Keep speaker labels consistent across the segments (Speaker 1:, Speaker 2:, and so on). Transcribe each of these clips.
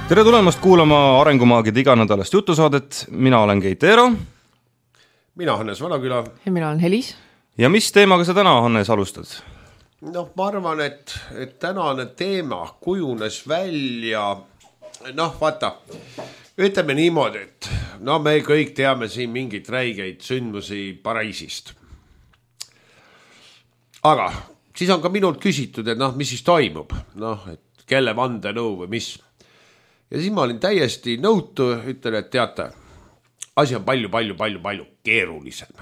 Speaker 1: Tere tulemast kuulama Arengumaagide iganädalast jutusaadet. Mina olen Keit Eero.
Speaker 2: Mina Hannes Vanaküla.
Speaker 3: Ja mina olen Helis.
Speaker 1: Ja mis teemaga sa täna, Hannes, alustad?
Speaker 2: Ma arvan, et tänane teema kujunes välja, vaata, ütleme niimoodi, et me kõik teame siin mingid räigeid sündmusi Pariisist. Aga siis on ka minult küsitud, et mis siis toimub, et kelle vandenõu või mis. Ja siis ma olin täiesti nõutu, ütlen, et teate, asi on palju keerulisem.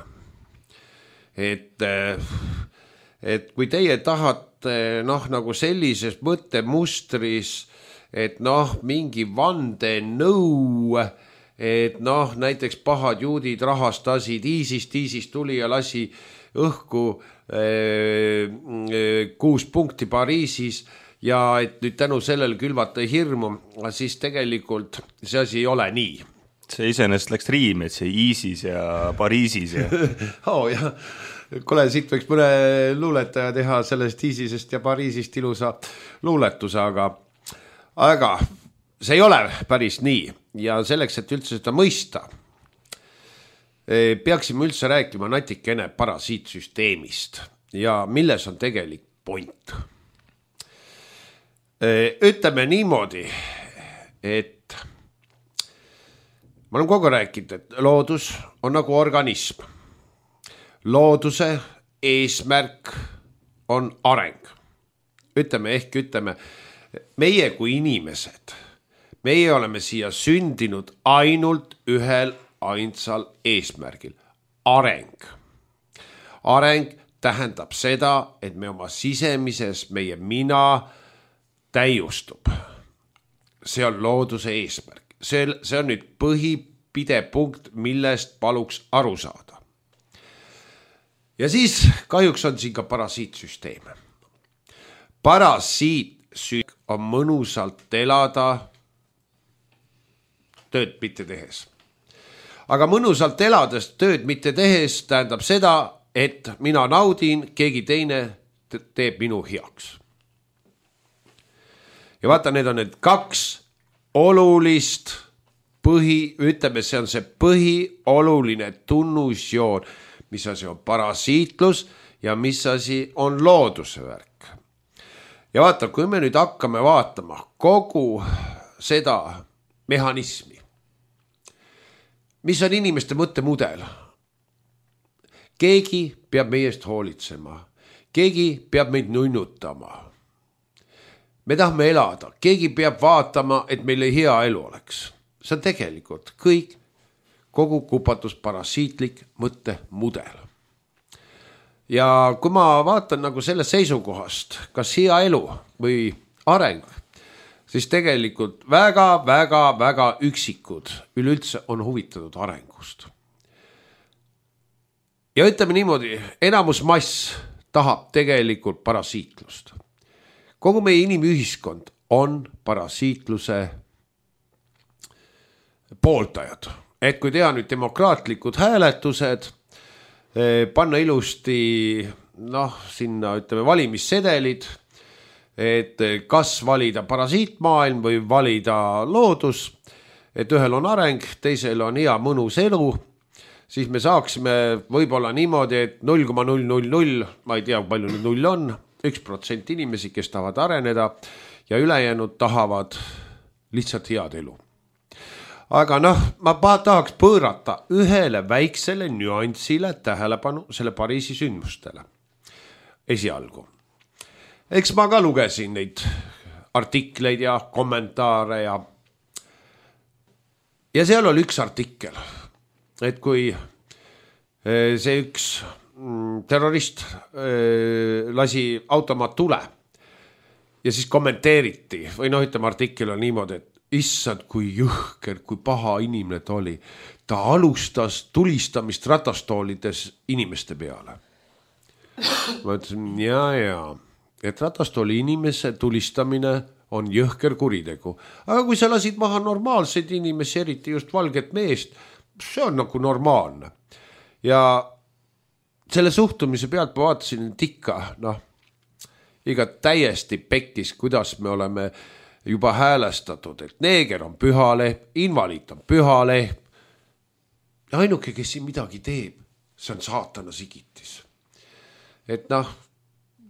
Speaker 2: Et kui teie tahate nagu sellises mõttemustris, et mingi vandenõu, et näiteks pahad juudid rahastasid ISIS tuli ja lasi õhku 6 punkti Pariisis ja et nüüd tänu sellele külvata hirmu, siis tegelikult see asi ei ole nii.
Speaker 1: See iseenesest läks riimi, et see ISIS ja Pariisis. Ja...
Speaker 2: jah. Kule, siit võiks mõne luuletaja teha sellest ISISest ja Pariisist ilusa luuletuse, aga see ei ole päris nii. Ja selleks, et üldse seda mõista, peaksime üldse rääkima natikene parasiitsüsteemist ja milles on tegelik point. Ütleme niimoodi, et ma olen kogu rääkinud, et loodus on nagu organism. Looduse eesmärk on areng. Ütleme, meie kui inimesed, meie oleme siia sündinud ainult ühel ainsal eesmärgil. Areng. Areng tähendab seda, et me oma sisemises, meie mina täiustub. See on looduse eesmärk. See on nüüd põhipidepunkt, millest paluks aru saada. Ja siis kahjuks on siin ka parasiitsüsteem. Parasiitsüsteem on mõnusalt elada tööd mitte tehes. Aga mõnusalt elades tööd mitte tehes tähendab seda, et mina naudin, keegi teine teeb minu heaks. Ja vaata, need on need 2 olulist see on see põhioluline tunnusjoon, mis asi on parasiitlus ja mis asi on looduse värk. Ja vaata, kui me nüüd hakkame vaatama kogu seda mehhanismi, mis on inimeste mõttemudel. Keegi peab meist hoolitsema, keegi peab meid nunnutama. Me tahame elada, keegi peab vaatama, et meil hea elu oleks. See on tegelikult kõik kogu kupatus parasiitlik mõttemudel. Ja kui ma vaatan nagu selle seisukohast, kas hea elu või areng, siis tegelikult väga üksikud üleüldse on huvitatud arengust. Ja ütleme niimoodi, enamus mass tahab tegelikult parasiitlust. Kogu meie inimühiskond on parasiitluse pooltajad. Et kui teha nüüd demokraatlikud hääletused, panna ilusti sinna valimissedelid, et kas valida parasiitmaailm või valida loodus, et ühel on areng, teisel on hea mõnus elu, siis me saaksime võib-olla niimoodi, et 0,000, ma ei tea, palju nüüd 0 on, 1% inimesi, kes tahavad areneda ja ülejäänud tahavad lihtsalt head elu. Aga ma tahaks pöörata ühele väiksele nüansile tähelepanu selle Pariisi sündmustele. Esialgu. Eks ma ka lugesin neid artikleid ja kommentaare ja seal oli üks artikkel, et kui see üks terrorist lasi automaat tule ja siis kommenteeriti või artikkel on niimoodi, et issand, kui jõhker, kui paha inimene ta oli. Ta alustas tulistamist ratastoolides inimeste peale. Ma ütlesin, et ratastooli inimese tulistamine on jõhker kuritegu. Aga kui sa lasid maha normaalseid inimesi, eriti just valget meest, see on nagu normaalne. Ja selle suhtumise pealt ma vaatasin, et ikka, iga täiesti pekkis, kuidas me oleme juba häälestatud, et neeger on pühalehm, invaliid on pühalehm. Ja ainuke, kes siin midagi teeb, see on saatana sigitis. Et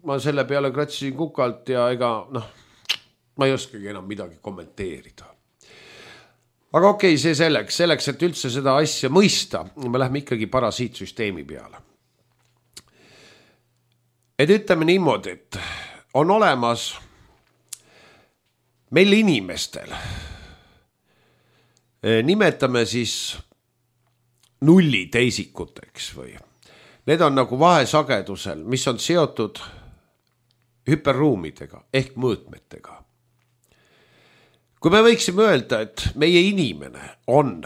Speaker 2: ma selle peale kratsisin kukalt ja ega ma ei oskagi enam midagi kommenteerida. Aga okei, see selleks, et üldse seda asja mõista, me lähme ikkagi parasiitsüsteemi peale. Et ütleme niimoodi, et on olemas meil inimestel, nimetame siis nulliteisikuteks või. Need on nagu vahesagedusel, mis on seotud hüperruumidega ehk mõõtmetega. Kui me võiksime öelda, et meie inimene on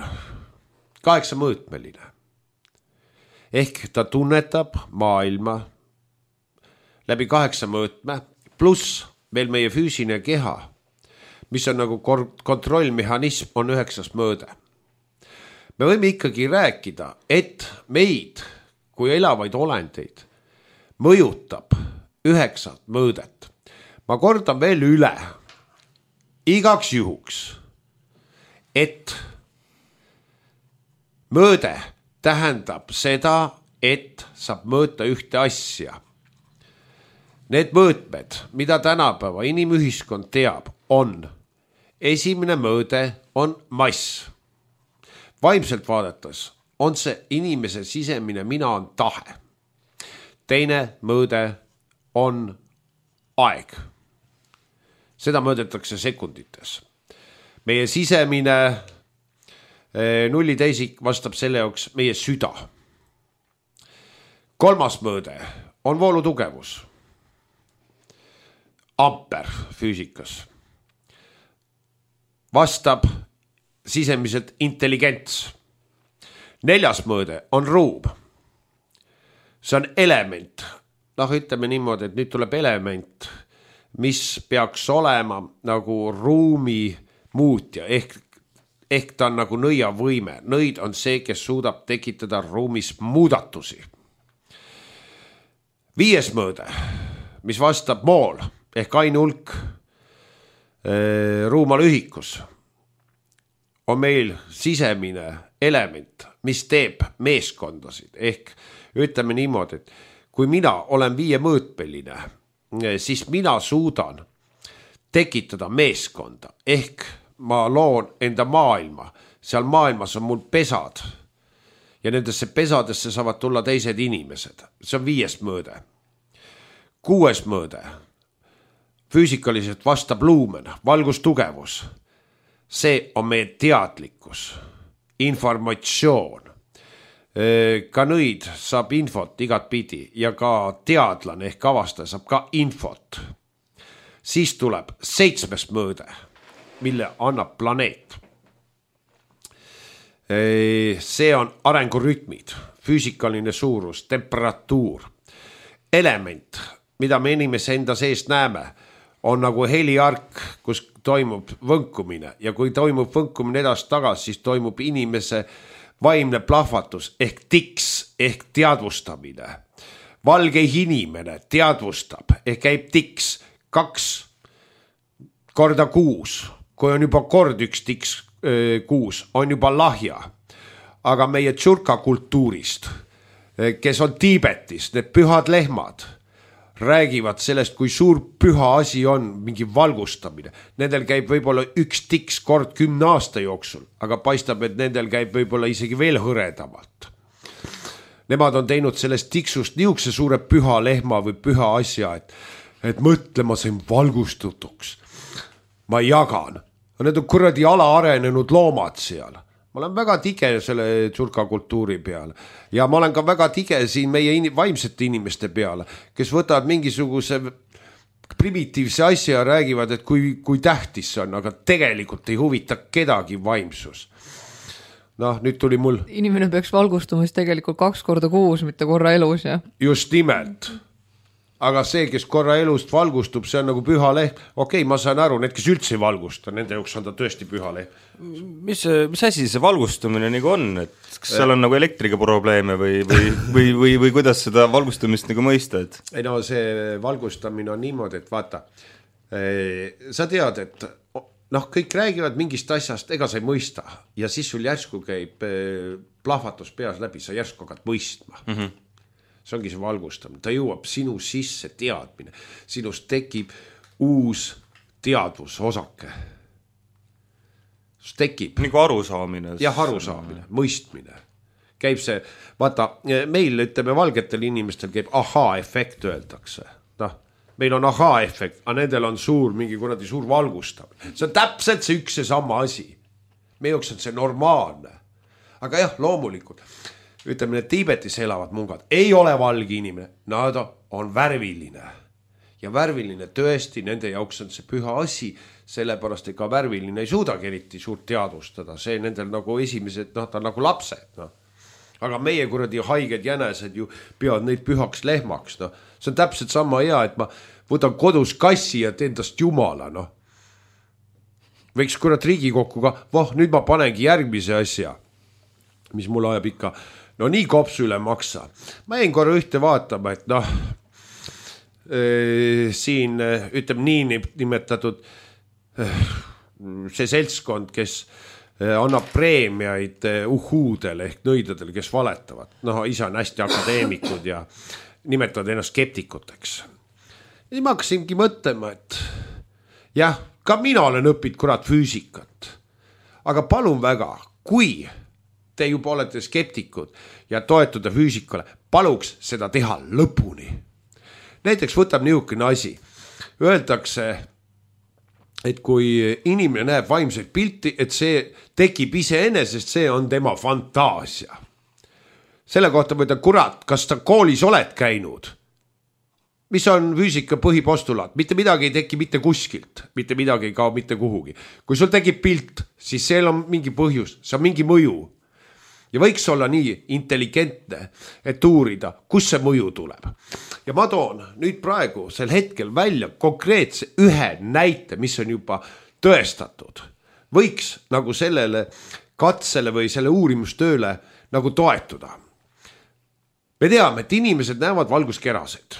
Speaker 2: 8-mõõtmeline, ehk ta tunnetab maailma läbi 8 mõõtme, pluss veel meie füüsiline keha, mis on nagu kontrollmehhanism, on 9 mõõde. Me võime ikkagi rääkida, et meid kui elavaid olendeid mõjutab 9 mõõdet. Ma kordan veel üle, igaks juhuks, et mõõde tähendab seda, et saab mõõta ühte asja. Need mõõtmed, mida tänapäeva inimühiskond teab, on esimene mõõde on mass. Vaimselt vaadates on see inimese sisemine mina on tahe. Teine mõõde on aeg. Seda mõõdetakse sekundites. Meie sisemine nulliteisik vastab selle jaoks meie süda. 3. mõõde on voolutugevus. Amper füüsikas. Vastab sisemiselt intelligents. 4. mõõde on ruum. See on element. Ütleme niimoodi, et nüüd tuleb element, mis peaks olema nagu ruumi muutja, ehk ta on nagu nõiavõime. Nõid on see, kes suudab tekitada ruumis muudatusi. 5. mõõde, mis vastab mool ehk ainulk ruumalühikus, on meil sisemine element, mis teeb meeskondasid. Ehk ütleme niimoodi, et kui mina olen 5-mõõtmeline, siis mina suudan tekitada meeskonda. Ehk ma loon enda maailma. Seal maailmas on mul pesad. Ja nendesse pesadesse saavad tulla teised inimesed. See on 5. mõõde. 6. mõõde. Füüsikaliselt vastab luumen, valgustugevus. See on meie teadlikkus, informatsioon. Ka nõid saab infot igat pidi ja ka teadlane ehk avastaja saab ka infot. Siis tuleb 7. mõõde, mille annab planeet. See on arengurütmid, füüsikaline suurus, temperatuur, element, mida me inimese enda sees näeme, on nagu heliark, kus toimub võnkumine ja kui toimub võnkumine edasi-tagasi, siis toimub inimese vaimne plahvatus ehk tiks ehk teadvustamine. Valge inimene teadvustab ehk käib tiks 2 korda 6. Kui on juba kord 1 tiks 6, on juba lahja. Aga meie tšurka kultuurist, kes on Tiibetis, need pühad lehmad, räägivad sellest, kui suur püha asi on mingi valgustamine. Nendel käib võib-olla 1 tiks kord 10 aasta jooksul, aga paistab, et nendel käib võib-olla isegi veel hõredamalt. Nemad on teinud sellest tiksust niisuguse suure püha lehma või püha asja, et mõtlema sain valgustutuks. Ma jagan. Need on kuradi alaarenenud loomad seal. Ma olen väga tige selle tšurka kultuuri peale ja ma olen ka väga tige siin meie vaimsete inimeste peale, kes võtavad mingisuguse primitiivse asja ja räägivad, et kui tähtis see on, aga tegelikult ei huvita kedagi vaimsus. Nüüd tuli mul...
Speaker 3: Inimene peaks valgustumis tegelikult 2 korda 6, mitte korra elus, ja?
Speaker 2: Just nimelt. Aga see, kes korra elust valgustub, see on nagu püha leht. Okei, ma saan aru, need, kes üldse ei valgusta, nende jaoks on ta tõesti püha leht.
Speaker 1: Mis asi see valgustumine nagu on? Et kas seal on nagu elektriga probleeme või kuidas seda valgustumist nagu mõista?
Speaker 2: Ei no see valgustamine on niimoodi, et vaata, sa tead, et noh, kõik räägivad mingist asjast, ega sa ei mõista ja siis sul järsku käib plahvatus peas läbi, sa järsku hakkad mõistma. See ongi see valgustamine, ta jõuab sinu sisse teadmine, sinust tekib uus teadvusosake. Tekib.
Speaker 1: Nagu arusaamine.
Speaker 2: Jah, arusaamine, mõistmine. Käib see, vaata, meil ütleme valgetel inimestel käib ahaa-efekt öeldakse. Noh, meil on ahaa-efekt, aga nendel on suur, mingi kuradi suur valgustamine. See on täpselt see üks ja sama asi. Meie jaoks on see normaalne. Aga jah, loomulikult, ütleme, need Tiibetis elavad mungad, ei ole valge inimene, nad on värviline. Ja värviline tõesti, nende jaoks on see püha asi, sellepärast ega värviline ei suudagi eriti suurt teadvustada, see nendel nagu esimesed, noh, ta on nagu lapsed, noh. Aga meie kuradi haiged jänesed ju peavad neid pühaks lehmaks, noh. See on täpselt sama hea, et ma võtan kodus kassi ja teen tast jumala, noh. Võiks kurat Riigikokku ka, nüüd ma panengi järgmise asja, mis mul ajab ikka, no nii kopsu üle maksa. Ma jäin korra ühte vaatama, et noh, siin ütleb nii nimetatud see seltskond, kes annab preemiaid uhuudele ehk nõidadele, kes valetavad. Noh, isa on hästi akadeemikud ja nimetavad ennast skeptikuteks. Ja ma hakkasingi mõtlema, et jah, ka mina olen õppinud kurat füüsikat. Aga palun väga, kui te juba olete skeptikud ja toetuda füüsikale, paluks seda teha lõpuni. Näiteks võtab niisugune asi. Öeldakse, et kui inimene näeb vaimset pilti, et see tekib iseenesest, see on tema fantaasia. Selle kohta võtta, kurat, kas ta koolis oled käinud? Mis on füüsika põhipostulaat? Mitte midagi ei teki mitte kuskilt, mitte midagi ei kao mitte kuhugi. Kui sul tekib pilt, siis seal on mingi põhjus, see on mingi mõju. Ja võiks olla nii intelligentne, et uurida, kus see mõju tuleb. Ja ma toon nüüd praegu sel hetkel välja konkreetse ühe näite, mis on juba tõestatud. Võiks nagu sellele katsele või selle uurimustööle nagu toetuda. Me teame, et inimesed näevad valguskerasid,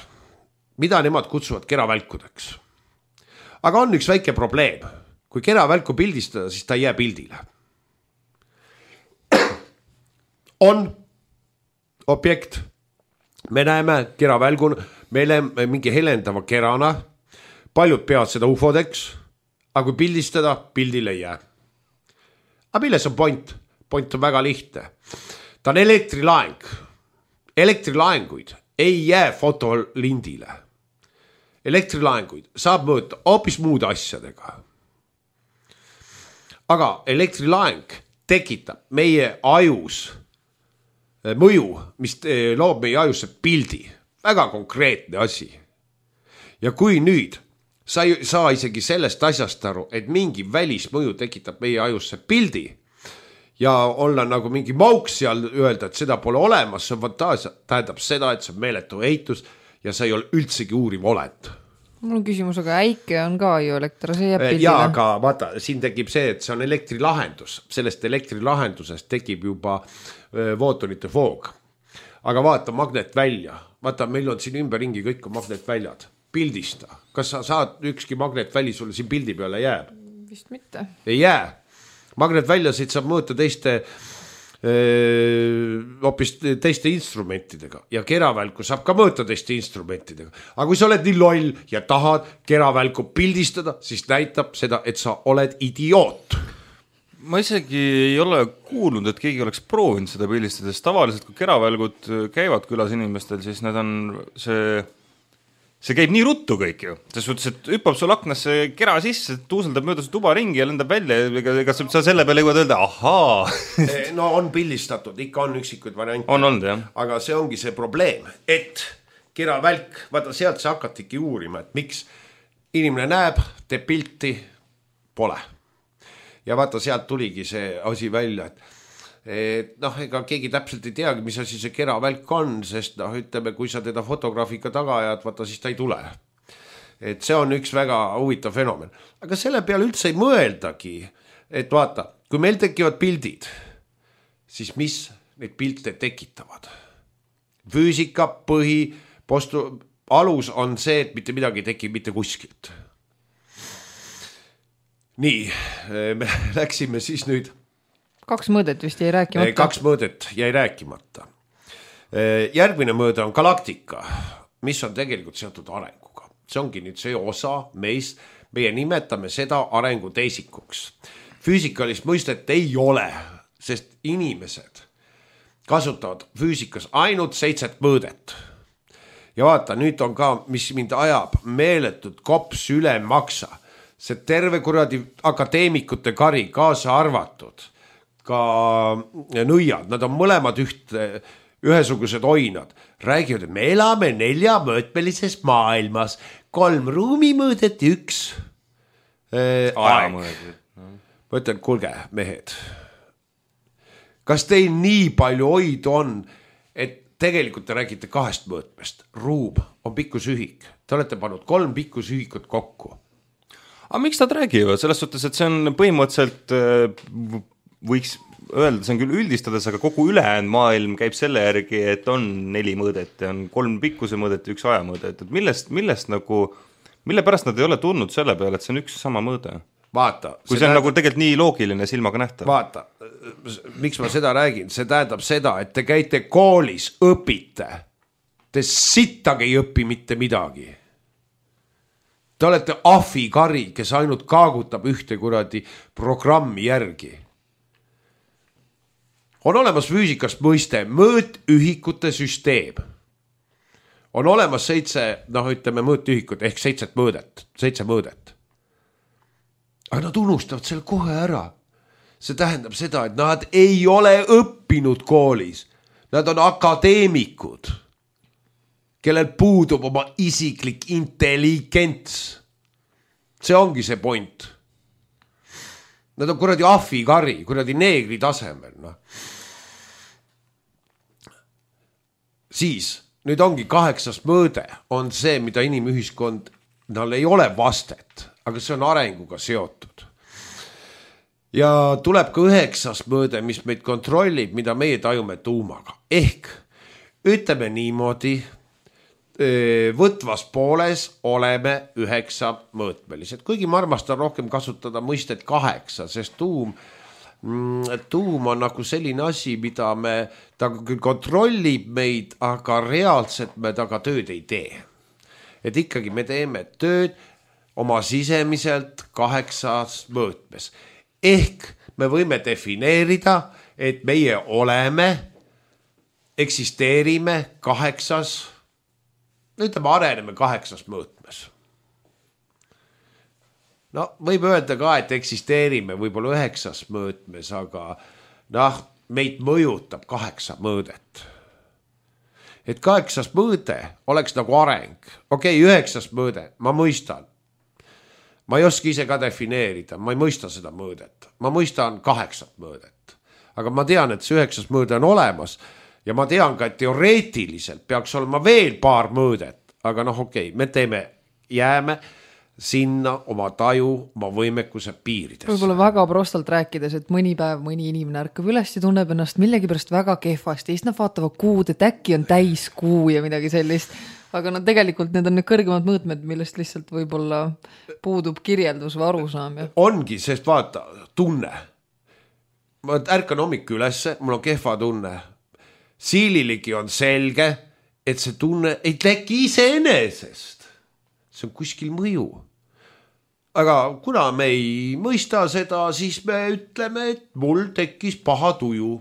Speaker 2: mida nemad kutsuvad keravälkudeks. Aga on üks väike probleem. Kui keravälku pildistada, siis ta ei jää pildile. On objekt, me näeme keravälguna, meile mingi helendava kerana, paljud peavad seda ufodeks, aga kui pildistada, pildil ei jää. Aga milles on point? Point on väga lihtne. Ta on elektrilaeng. Elektrilaenguid ei jää fotolindile. Elektrilaenguid saab mõõta hoopis muude asjadega. Aga elektrilaeng tekitab meie ajus mõju, mis loob meie ajusse pildi. Väga konkreetne asi. Ja kui nüüd sa ei saa isegi sellest asjast aru, et mingi välismõju tekitab meie ajusse pildi ja olla nagu mingi mauks seal öelda, et seda pole olemas, see on fantaasia, tähendab seda, et see on meeletu eitus ja sa ei ole üldsegi uuriv olend.
Speaker 3: Mul on küsimus, aga äike on ka ju elekter, see jääb pildile.
Speaker 2: Ja, aga vaata, siin tekib see, et see on elektrilahendus. Sellest elektrilahendusest tekib juba footonite voog. Aga vaata magnet välja. Vaata, meil on siin ümberringi kõik on magnetväljad. Pildista. Kas sa saad ükski magnetväli sulle siin pildi peale jääb?
Speaker 3: Vist mitte. Ei
Speaker 2: jää. Magnetväljasid saab mõõta hoopis teiste instrumentidega ja keravälku saab ka mõõta teiste instrumentidega. Aga kui sa oled nii loll ja tahad keravälku pildistada, siis näitab seda, et sa oled idioot.
Speaker 1: Ma isegi ei ole kuulnud, et keegi oleks proovinud seda pildistada, sest tavaliselt kui keravälgud käivad külas inimestel, siis need on see käib nii ruttu kõik ju. See suhtes, et hüppab sul aknasse kera sisse, tuuseldab mööda su tuba ringi ja lendab välja. Ega sa selle peale jõuad öelda, ahaa.
Speaker 2: No on pildistatud, ikka on üksikuid variante.
Speaker 1: On olnud, jah.
Speaker 2: Aga see ongi see probleem, et keravälk, vaata sealt sa hakatiki uurima, et miks inimene näeb, teeb pilti, pole. Ja vaata sealt tuligi see asi välja, et noh, ega keegi täpselt ei teagi, mis asi see keravälk on, sest noh, ütleme, kui sa teda fotograafika taga ajad, vaata siis ta ei tule. Et see on üks väga huvitav fenomen. Aga selle peale üldse ei mõeldagi, et vaata, kui meil tekivad pildid, siis mis neid pilte tekitavad? Füüsika alus on see, et mitte midagi tekib mitte kuskilt. nii, me läksime siis nüüd.
Speaker 3: 2 mõõdet vist jäi rääkimata.
Speaker 2: 2 mõõdet jäi rääkimata. Järgmine mõõde on galaktika, mis on tegelikult seotud arenguga. See ongi nüüd see osa meist, meie nimetame seda arenguteisikuks. Füüsikalist mõistet ei ole, sest inimesed kasutavad füüsikas ainult 7 mõõdet. Ja vaata, nüüd on ka, mis mind ajab meeletut kops üle maksa. See terve kuradi akadeemikute kari kaasa arvatud, ka nõiad, nad on mõlemad ühesugused oinad. Räägivad, et me elame 4-mõõtmelises maailmas, 3 ruumimõõdet ja 1 aeg. Ma ütlen, kuulge, mehed, kas teil nii palju oidu on, et tegelikult te räägite 2 mõõtmest. Ruum on pikkusühik. Te olete pannud 3 pikkusühikut kokku.
Speaker 1: Aga miks nad räägivad? Selles suhtes, et see on põhimõtteliselt, võiks öelda, see on küll üldistades, aga kogu ülejäänud maailm käib selle järgi, et on 4 mõõdet ja on 3 pikkuse mõõdet ja 1 aja mõõdet. Et millest nagu, mille pärast nad ei ole tulnud selle peale, et see on üks sama mõõde?
Speaker 2: Vaata.
Speaker 1: Kui see on nagu tegelikult nii loogiline silmaga nähtav.
Speaker 2: Vaata, miks ma seda räägin? See tähendab seda, et te käite koolis, õpite. Te sittagi ei õpi mitte midagi. Te olete ahvikari, kes ainult kaagutab ühte kuradi programmi järgi. On olemas füüsikast mõiste mõõtühikute süsteem. On olemas 7, ütleme mõõtühikut ehk 7 mõõdet. Aga nad unustavad selle kohe ära. See tähendab seda, et nad ei ole õppinud koolis. Nad on akadeemikud, kellel puudub oma isiklik intelligents. See ongi see point. Nad on kuradi ahvikari, kuradi neegri tasemel. No. Siis, nüüd ongi 8. mõõde, on see, mida inimühiskond, neil ei ole vastet, aga see on arenguga seotud. Ja tuleb ka 9. mõõde, mis meid kontrollib, mida meie tajume tuumaga. Ehk ütleme niimoodi, võtvas pooles oleme 9 mõõtmelised. Kuigi ma armastan rohkem kasutada mõistet 8, sest tuum on nagu selline asi, mida ta küll kontrollib meid, aga reaalselt me taga tööd ei tee. Et ikkagi me teeme tööd oma sisemiselt 8 mõõtmes. Ehk me võime defineerida, et meie oleme, eksisteerime 8, ütleme, areneme 8 mõõtmes. No, võib öelda ka, et eksisteerime võib-olla 9 mõõtmes, aga meid mõjutab 8 mõõdet. Et 8 mõõde oleks nagu areng. Okei, 9 mõõde, ma mõistan. Ma ei oska ise ka defineerida, ma ei mõista seda mõõdet. Ma mõistan 8 mõõdet. Aga ma tean, et see 9 mõõde on olemas. Ja ma tean ka, et teoreetiliselt peaks olema veel paar mõõdet, aga okei, me jääme sinna oma taju, oma võimekuse piirides.
Speaker 3: Võib-olla väga prostalt rääkides, et mõni päev mõni inimene ärkab üles ja tunneb ennast millegipärast väga kehvasti. Siis nad vaatavad kuud, et äkki on täis kuu ja midagi sellist. Aga tegelikult need on need kõrgemad mõõtmed, millest lihtsalt võib-olla puudub kirjeldus või arusaam. Ja.
Speaker 2: Ongi, sest vaata, tunne. Ma ärkan hommik ülesse, mul on kehva tunne. Siililigi on selge, et see tunne ei teki iseenesest. See on kuskil mõju. Aga kuna me ei mõista seda, siis me ütleme, et mul tekkis paha tuju.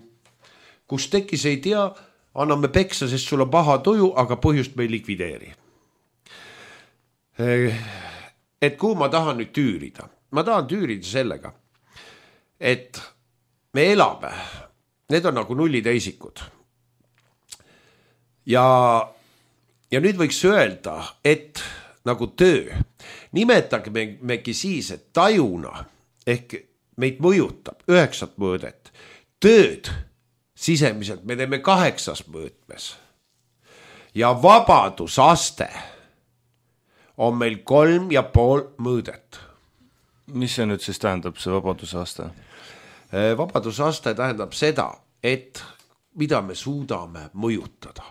Speaker 2: Kus tekkis ei tea, anname peksa, sest sul on paha tuju, aga põhjust me ei likvideeri. Et kuhu ma tahan nüüd tüürida? Ma tahan tüürida sellega, et me elame. Need on nagu nulliteisikud. Ja nüüd võiks öelda, et nagu töö, nimetagmegi siis, et tajuna ehk meid mõjutab 9 mõõdet. Tööd sisemiselt me teeme 8 mõõtmes. Ja vabadusaste on meil 3,5 mõõdet.
Speaker 1: Mis see nüüd siis tähendab, see vabadusaste?
Speaker 2: Vabadusaste tähendab seda, et mida me suudame mõjutada.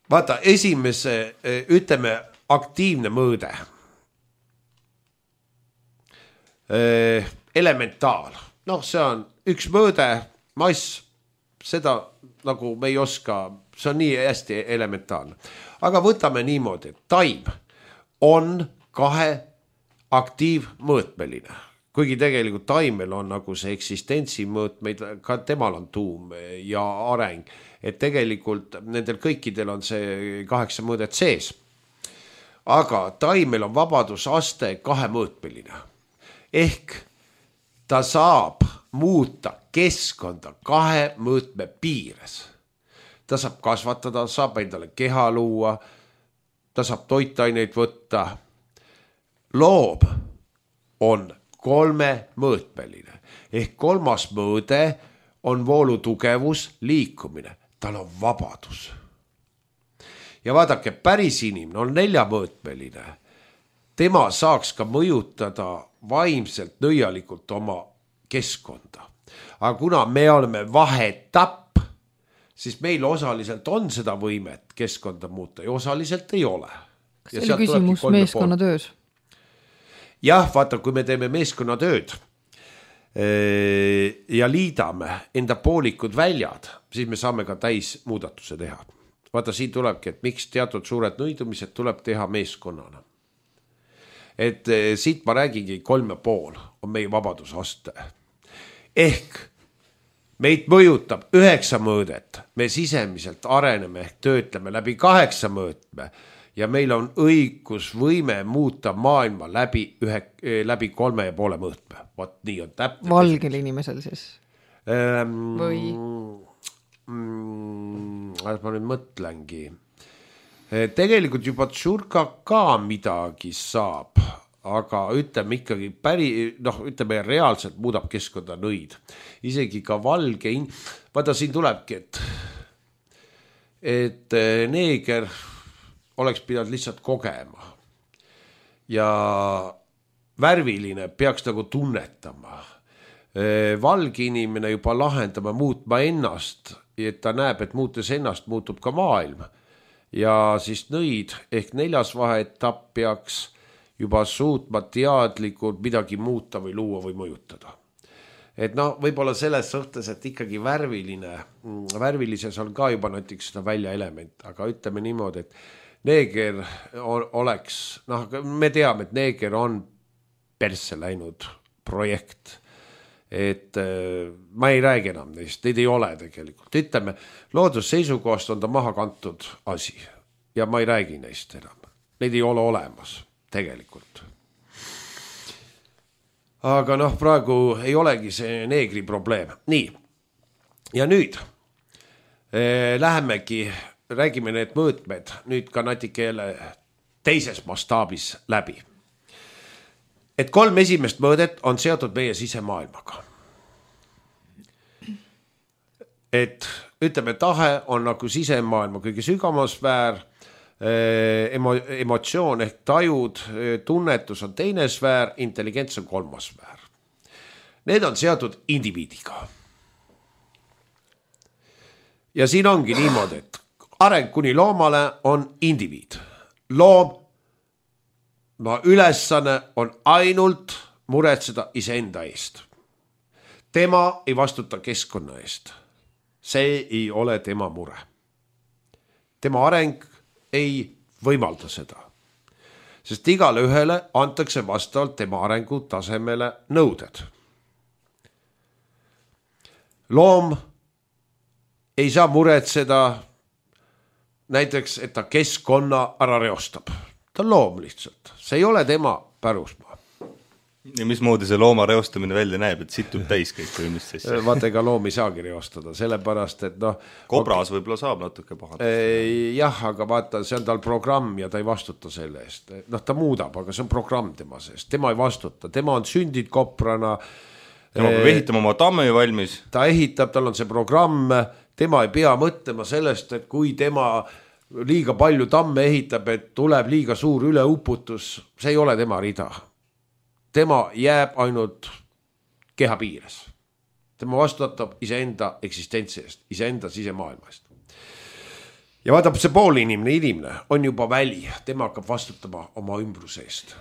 Speaker 2: Vaata, esimese, ütleme, aktiivne mõõde. elementaal. Noh, see on üks mõõde, mass, seda nagu me ei oska, see on nii hästi elementaalne. Aga võtame niimoodi, et taim on 2 aktiivmõõtmeline. Kuigi tegelikult taimel on nagu see eksistentsi mõõtmeid, ka temal on tuum ja areng, et tegelikult nendel kõikidel on see 8 mõõdet sees. Aga taimel on vabadusaste 2-mõõtmeline. Ehk ta saab muuta keskkonda 2 mõõtme piires. Ta saab kasvatada, saab endale keha luua, ta saab toitaineid võtta. Loom on 3-mõõtmeline. Ehk 3. mõõde on voolu tugevus, liikumine. Tal on vabadus. Ja vaadake, päris inimene on 4-mõõtmeline. Tema saaks ka mõjutada vaimselt nõialikult oma keskkonda. Aga kuna me oleme vahetapp, siis meil osaliselt on seda võimet keskkonda muuta ja osaliselt ei ole.
Speaker 3: Kas see oli küsimus meeskonnatöös?
Speaker 2: Jah, vaata, kui me teeme meeskonnatööd ja liidame enda poolikud väljad, siis me saame ka täis muudatuse teha. Vaata, siin tulebki, et miks teatud suured nõidumised tuleb teha meeskonnana. Et siit ma räägingi 3,5 on meie vabadusaste. Ehk meid mõjutab 9 mõõdet, me sisemiselt areneme ehk töötleme läbi 8 mõõtme ja meil on õigus võime muuta maailma läbi 3,5 mõõtme. Vaat nii on täpne.
Speaker 3: Valgel inimesel siis? Või?
Speaker 2: Ma nüüd mõtlengi. Tegelikult juba tšurka ka midagi saab, aga ütleme ikkagi ütleme reaalselt muudab keskkonda nõid. Isegi ka valge vaata siin tulebki, et neeger oleks pidanud lihtsalt kogema ja värviline peaks nagu tunnetama. Valge inimene juba lahendama muutma ennast, et ta näeb, et muutes ennast muutub ka maailm. Ja siis nõid ehk 4. vaheetapp peaks juba suutma teadlikult midagi muuta või luua või mõjutada. Et võib-olla selles suhtes, et ikkagi värvilises on ka juba näiteks seda väljaelement, aga ütleme niimoodi, et neeger oleks, me teame, et neeger on persse läinud projekt. Et ma ei räägi enam neist, neid ei ole tegelikult. Ütleme, loodusseisukohast on ta maha kantud asi ja ma ei räägi neist enam. Neid ei ole olemas tegelikult. Aga praegu ei olegi see neegri probleem. Nii, ja nüüd lähemegi, räägime need mõõtmed nüüd ka natuke jälle teises mastaabis läbi. Et 3 esimest mõõdet on seotud meie sisemaailmaga. Et ütleme, tahe on nagu sisemaailma kõige sügavam sfäär, emotsioon ehk tajud, tunnetus on 2. sfäär, intelligents on 3. sfäär. Need on seotud indiviidiga. Ja siin ongi niimoodi, et areng kuni loomale on indiviid. Loom ülesanne on ainult muretseda iseenda eest. Tema ei vastuta keskkonna eest. See ei ole tema mure. Tema areng ei võimalda seda. Sest igale ühele antakse vastavalt tema arengu tasemele nõuded. Loom ei saa muretseda näiteks, et ta keskkonna ära reostab. Ta on loom lihtsalt. See ei ole tema pärusmaa.
Speaker 1: Ja mismoodi see looma reostamine välja näeb, et situb täis kõik või mis siis?
Speaker 2: Vaata, ega loom ei saagi reostada, sellepärast, et
Speaker 1: Kobras võib-olla saab natuke pahalt.
Speaker 2: Jah, aga vaata, see on tal programm ja ta ei vastuta selle eest. Ta muudab, aga see on programm tema seest. Tema ei vastuta, tema on sündid koprana.
Speaker 1: Tema peab ehitama oma tammi valmis.
Speaker 2: Ta ehitab, tal on see programm, tema ei pea mõtlema sellest, et kui tema liiga palju tamme ehitab, et tuleb liiga suur üleuputus, see ei ole tema rida. Tema jääb ainult keha piires. Tema vastutab iseenda eksistentsi eest, iseenda sisemaailma eest. Ja vaatab see pool inimene on juba väli, tema hakkab vastutama oma ümbruse eest.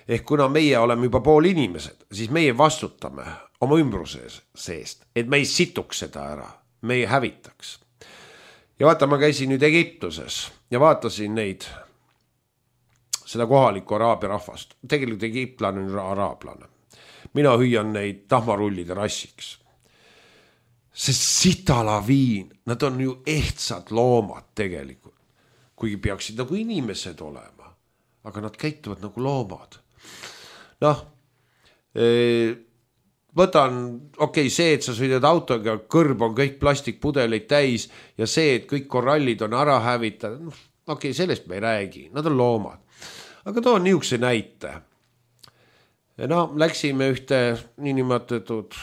Speaker 2: ehk kuna meie oleme juba pool inimesed, siis meie vastutame oma ümbruse seest, et me ei situks seda ära, me ei hävitaks. Ja vaata, ma käisin nüüd Egiptuses ja vaatasin neid, seda kohalikku araabia rahvast. Tegelikult egiptlane on araablane. Mina hüüan neid tahmarullide rassiks. See sitalaviin, nad on ju ehtsad loomad tegelikult, kuigi peaksid nagu inimesed olema, aga nad käituvad nagu loomad. Noh, võtan, see, et sa sõidad autoga, kõrb on kõik plastikpudeleid täis ja see, et kõik korallid on ära hävitatud, sellest me ei räägi, nad on loomad. Aga toon niisuguse näite. Läksime ühte niinimetatud,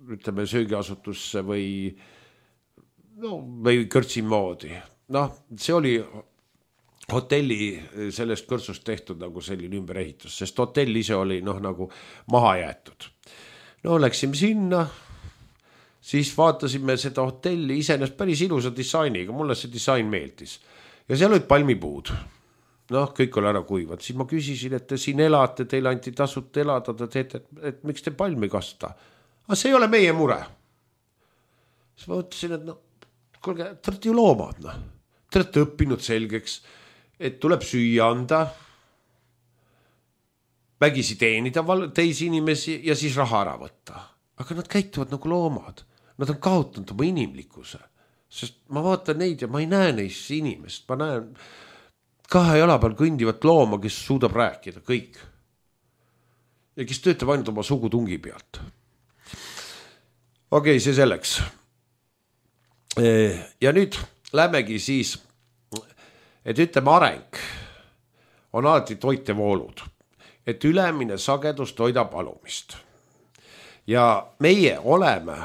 Speaker 2: ütleme söögiasutusse või kõrtsi moodi. See oli hotelli sellest kõrtsust tehtud nagu selline ümberehitus, sest hotell ise oli nagu maha jäetud. Läksime sinna, siis vaatasime seda hotelli iseenesest päris ilusa disainiga, mulle see disain meeldis. Ja seal olid palmipuud. Kõik oli ära kuivad. Siis ma küsisin, et te siin elate, teile anti tasut elada, et miks te palmi kasta? Aga see ei ole meie mure. Siis ma ütlesin, et kuulge, te olete ju loomad. Te olete õppinud selgeks, et tuleb süüa anda, vägisi teenida teisi inimesi ja siis raha ära võtta. Aga nad käituvad nagu loomad. Nad on kaotanud oma inimlikkuse. Sest ma vaatan neid ja ma ei näe neist inimest. Ma näen 2 jala peal kõndivat looma, kes suudab rääkida kõik. Ja kes töötab ainult oma sugutungi pealt. See selleks. Ja nüüd lähmegi siis, et ütleme areng on alati toitevoolud, et ülemine sagedus toidab alumist. Ja meie oleme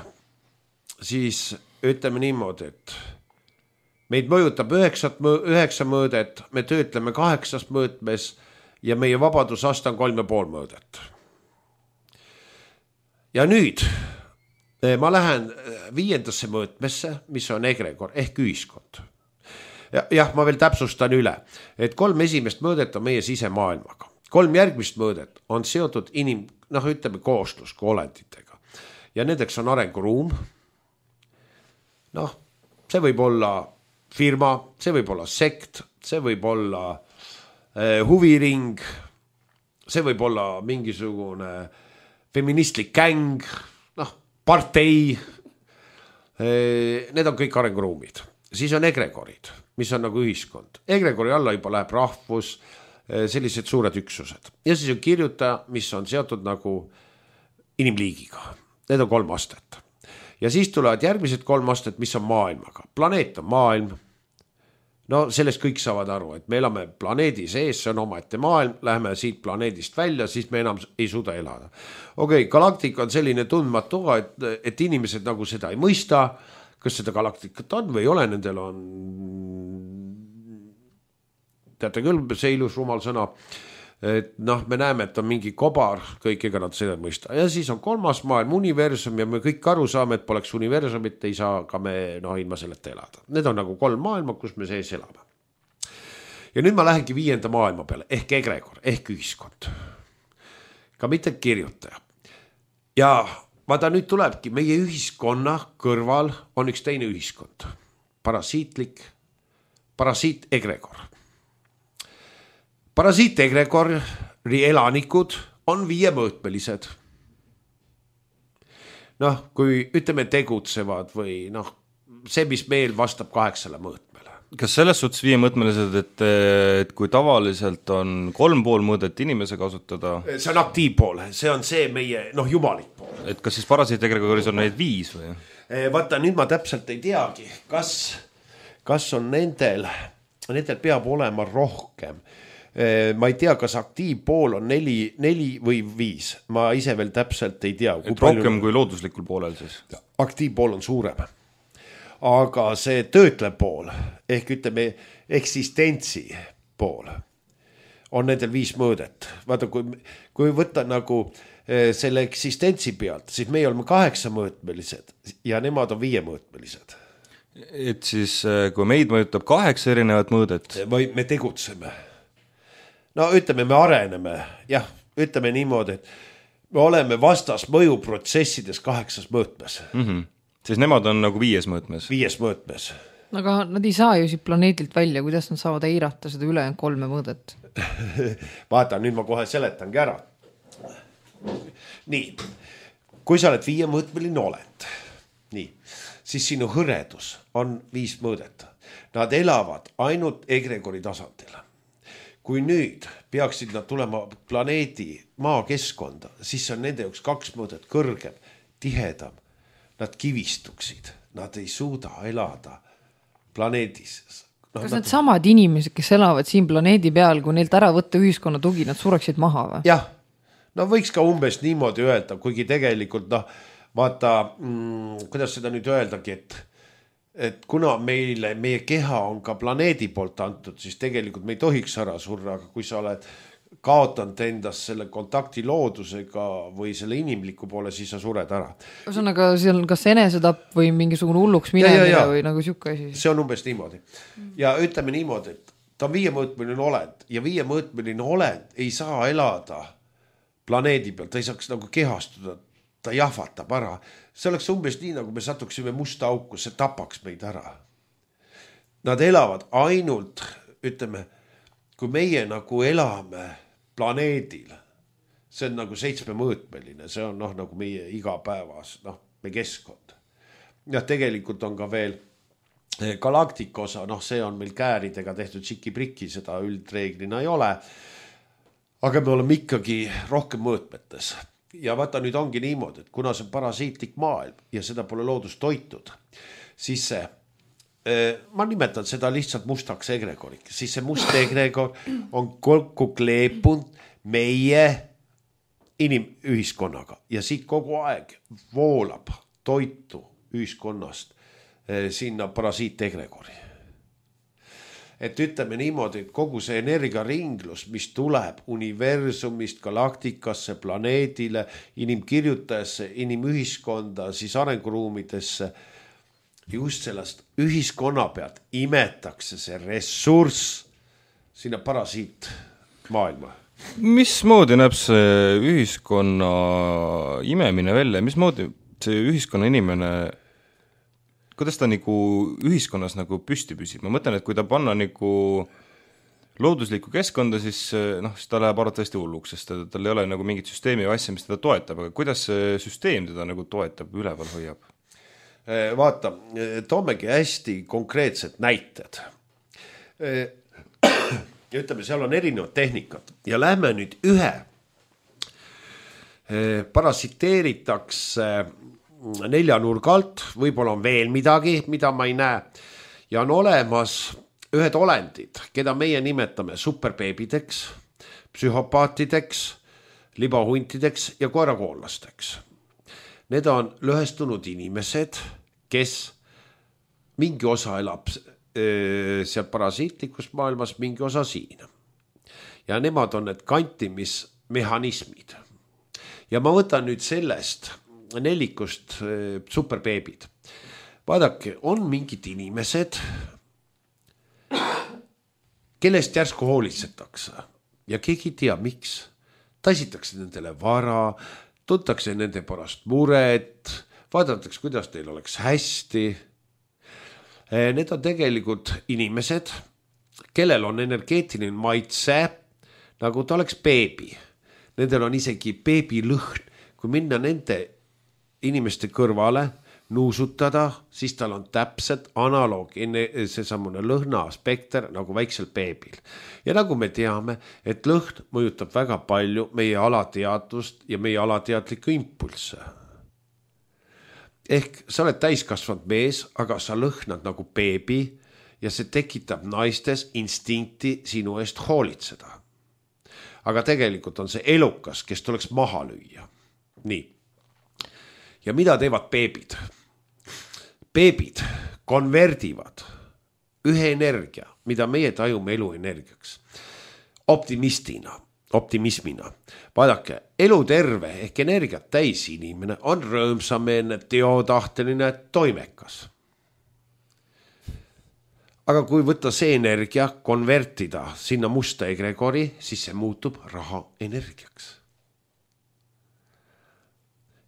Speaker 2: siis, ütleme niimoodi, et meid mõjutab 9 mõõdet, me töötleme 8 mõõtmes ja meie vabadusaste on 3,5 mõõdet. Ja nüüd ma lähen 5. mõõtmesse, mis on egregor ehk ühiskond. Jah, ma veel täpsustan üle, et 3 esimest mõõdet on meie sisemaailmaga. 3 järgmist mõõdet on seotud ütleme kooslusku olenditega. Ja nendeks on arenguruum. See võib olla firma, see võib olla sekt, see võib olla huviring, see võib olla mingisugune feministlik gäng, partei. Need on kõik arenguruumid. Siis on egregorid, mis on nagu ühiskond. Egregori alla juba läheb rahvus, sellised suured üksused. Ja siis on kirjutaja, mis on seotud nagu inimliigiga. Need on 3 astet. Ja siis tulevad järgmised 3 astet, mis on maailmaga. Planeet on maailm. Sellest kõik saavad aru, et me elame planeedi sees, see on omaette maailm, läheme siit planeedist välja, siis me enam ei suuda elada. Galaktika on selline tundmatu, et inimesed nagu seda ei mõista, kas seda galaktikat on või ei ole, nendel on, teate küll, see ilus rumal sõna, et me näeme, et on mingi kobar, kõik ega nad seda mõista. Ja siis on 3. maailm, universum ja me kõik aru saame, et poleks universumit, ei saa ka me ilma selleta elada. Need on nagu 3 maailma, kus me sees elame. Ja nüüd ma lähengi 5. maailma peale, ehk egregor, ehk ühiskond. Ka mitte kirjutaja. Ja vaata nüüd tulebki, meie ühiskonna kõrval on üks teine ühiskond. Parasiit egregor. Parasiit egregori elanikud on 5-mõõtmelised. Kui ütleme tegutsevad või see, mis meil vastab 8 mõõtmele.
Speaker 1: Kas selles suhtes 5-mõõtmelised, et kui tavaliselt on 3,5 mõõdet inimese kasutada?
Speaker 2: See on aktiivpool, see on see meie jumalik pool.
Speaker 1: Et kas siis parasiit egregoris on neid 5 või?
Speaker 2: Vaata, nüüd ma täpselt ei teagi, kas on nendel peab olema rohkem. Ma ei tea, kas aktiivpool on 4 või 5. Ma ise veel täpselt ei tea.
Speaker 1: Rohkem kui looduslikul poolel siis?
Speaker 2: Aktiivpool on suurem. Aga see töötlev pool, ehk ütleme eksistentsi pool, on nendel 5 mõõdet. Vaata, kui võtta nagu selle eksistentsi pealt, siis meie oleme 8-mõõtmelised ja nemad on 5-mõõtmelised.
Speaker 1: Et siis, kui meid mõjutab 8 erinevat mõõdet?
Speaker 2: Me tegutseme. no ütleme, me areneme, jah, ütleme niimoodi, et me oleme vastas mõjuprotsessides 8 mõõtmes.
Speaker 1: Siis nemad on nagu 5 mõõtmes.
Speaker 2: 5 mõõtmes.
Speaker 3: Aga nad ei saa ju siit planeedilt välja, kuidas nad saavad eirata seda ülejäänud 3 mõõdet?
Speaker 2: Vaata, nüüd ma kohe seletangi ära. Nii, kui sa oled 5-mõõtmeline olend, nii, siis sinu hõredus on 5 mõõdet. Nad elavad ainult egregori tasandil. Kui nüüd peaksid nad tulema planeedi maakeskkonda, siis on nende jaoks 2 mõõdet kõrgem, tihedam. Nad kivistuksid, nad ei suuda elada planeedis.
Speaker 3: Kas nad samad inimesed, kes elavad siin planeedi peal, kui neilt ära võtta ühiskonna tugi, nad sureksid maha või?
Speaker 2: Jah, no võiks ka umbes niimoodi öelda, kuigi tegelikult vaata, kuidas seda nüüd öeldagi, et kuna meie keha on ka planeedi poolt antud, siis tegelikult me ei tohiks ära surra, aga kui sa oled kaotanud endast selle kontakti loodusega või selle inimliku poole, siis sa sured ära.
Speaker 3: Ühesõnaga, see on kas enesetapp või mingisugune hulluks minemine või nagu siuke asi?
Speaker 2: See on umbes niimoodi. Ja ütleme niimoodi, et ta on 5-mõõtmeline olend ja 5-mõõtmeline olend ei saa elada planeedi peal, ta ei saaks nagu kehastuda, ta jahvatab ära. See oleks umbes nii, nagu me satuksime musta auku, see tapaks meid ära. Nad elavad ainult, ütleme, kui meie nagu elame planeedil, see on nagu 7-mõõtmeline, see on nagu meie igapäevas, meie keskkond. Ja tegelikult on ka veel galaktika osa, see on meil kääridega tehtud tšiki-priki, seda üldreeglina ei ole, aga me oleme ikkagi rohkem mõõtmetes. Ja vaata, nüüd ongi niimoodi, et kuna see on parasiitlik maailm ja seda pole loodus toitud, siis see, ma nimetan seda lihtsalt mustaks egregoriks, siis see must egregor on kokku kleepunud meie inimühiskonnaga ja siit kogu aeg voolab toitu ühiskonnast sinna parasiit egregori. Et ütleme niimoodi, et kogu see energiaringlus, mis tuleb universumist, galaktikasse, planeedile, inimkirjutajasse, inimühiskonda, siis arenguruumidesse, just sellest ühiskonna pealt imetakse see ressurss sinna parasiit maailma.
Speaker 1: Mismoodi näeb see ühiskonna imemine välja? Mismoodi see ühiskonna inimene, kuidas ta nagu ühiskonnas nagu püsti püsib? Ma mõtlen, et kui ta panna nagu looduslikku keskkonda, siis ta läheb arvatavasti hulluks, sest tal ei ole nagu mingit süsteemi või asja, mis teda toetab, aga kuidas see süsteem teda nagu toetab, üleval hoiab?
Speaker 2: Vaata, toomegi hästi konkreetsed näited. Ütleme, seal on erinevad tehnikad ja lähme nüüd ühe. Parasiteeritakse 4 nurga alt, võib-olla on veel midagi, mida ma ei näe. Ja on olemas ühed olendid, keda meie nimetame superbeebideks, psühhopaatideks, libahuntideks ja koerakoolasteks. Need on lõhestunud inimesed, kes mingi osa elab seal parasiitlikus maailmas, mingi osa siin. Ja nemad on need kantimismehhanismid. Ja ma võtan nüüd sellest 4 superbeebid. Vaadake, on mingid inimesed, kellest järsku hoolitsetakse ja keegi ei tea, miks. Taisitakse nendele vara, tuntakse nende pärast muret, vaadatakse, kuidas teil oleks hästi. Need on tegelikult inimesed, kellel on energeetiline maitse, nagu ta oleks beebi. Nendel on isegi beebilõhn. Kui minna nende inimeste kõrvale, nuusutada, siis tal on täpselt analoog, seesamune lõhna spekter nagu väiksel beebil. Ja nagu me teame, et lõhn mõjutab väga palju meie alateadvust ja meie alateadliku impulsse. Ehk sa oled täiskasvanud mees, aga sa lõhnad nagu beebi ja see tekitab naistes instinkti sinu eest hoolitseda. Aga tegelikult on see elukas, kes tuleks maha lüüa. Nii. Ja mida teevad beebid? Beebid konverdivad ühe energia, mida meie tajume eluenergiaks, optimismina. Vaadake, eluterve ehk energiat täis inimene on rõõmsameelne, teotahteline, toimekas. aga kui võtta see energia, konvertida sinna musta egregori, siis see muutub raha energiaks.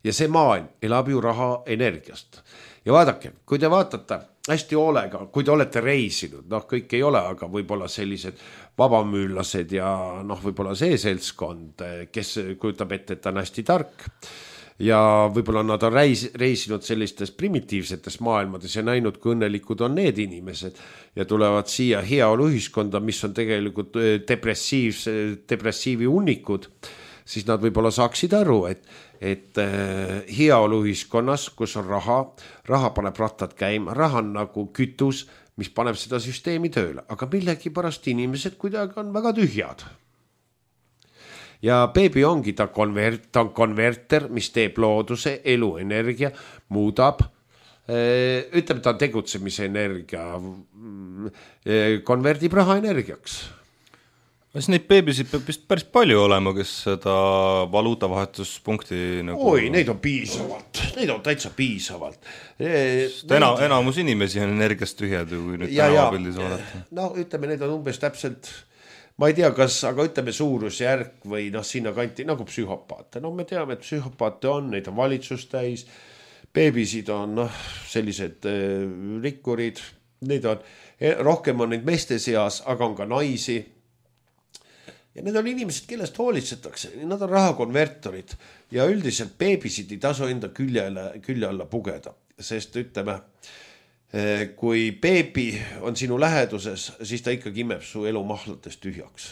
Speaker 2: Ja see maailm elab ju raha energiast. Ja vaadake, kui te vaatate hästi hoolega, kui te olete reisinud, kõik ei ole, aga võib-olla sellised vabamüüllased ja võib-olla see seltskond, kes kujutab ette, et ta on hästi tark ja võib-olla nad on reisinud sellistes primitiivsetes maailmades ja näinud, kui õnnelikud on need inimesed ja tulevad siia heaolu ühiskonda, mis on tegelikult depressiivi hunnikud, siis nad võib-olla saaksid aru, et heaolu ühiskonnas, kus on raha paneb rattad käima, raha on nagu kütus, mis paneb seda süsteemi tööle, aga millegi pärast inimesed kuidagi on väga tühjad. Ja beebi ongi ta on konverter, mis teeb looduse, eluenergia, muudab, ütleme ta on tegutsemise energia, konverdib raha energiaks.
Speaker 1: Kas neid beebisid peab vist päris palju olema, kes seda valuutavahetuspunkti nagu...
Speaker 2: Oi, neid on piisavalt, neid on täitsa piisavalt.
Speaker 1: Enamus inimesi on energiast tühjad, kui nüüd tänavapildis vaadata.
Speaker 2: Ütleme, neid on umbes täpselt, ma ei tea, aga ütleme suurusjärk või sinna kanti nagu psühhopaate. Me teame, et psühhopaate on, neid on valitsus täis, beebisid on sellised rikkurid, rohkem on neid meeste seas, aga on ka naisi. Ja need on inimesed, kellest hoolitsetakse, nad on rahakonvertorid ja üldiselt beebisid ei tasu enda külje alla pugeda, sest ütleme, kui beebi on sinu läheduses, siis ta ikkagi imeb su elumahladest tühjaks.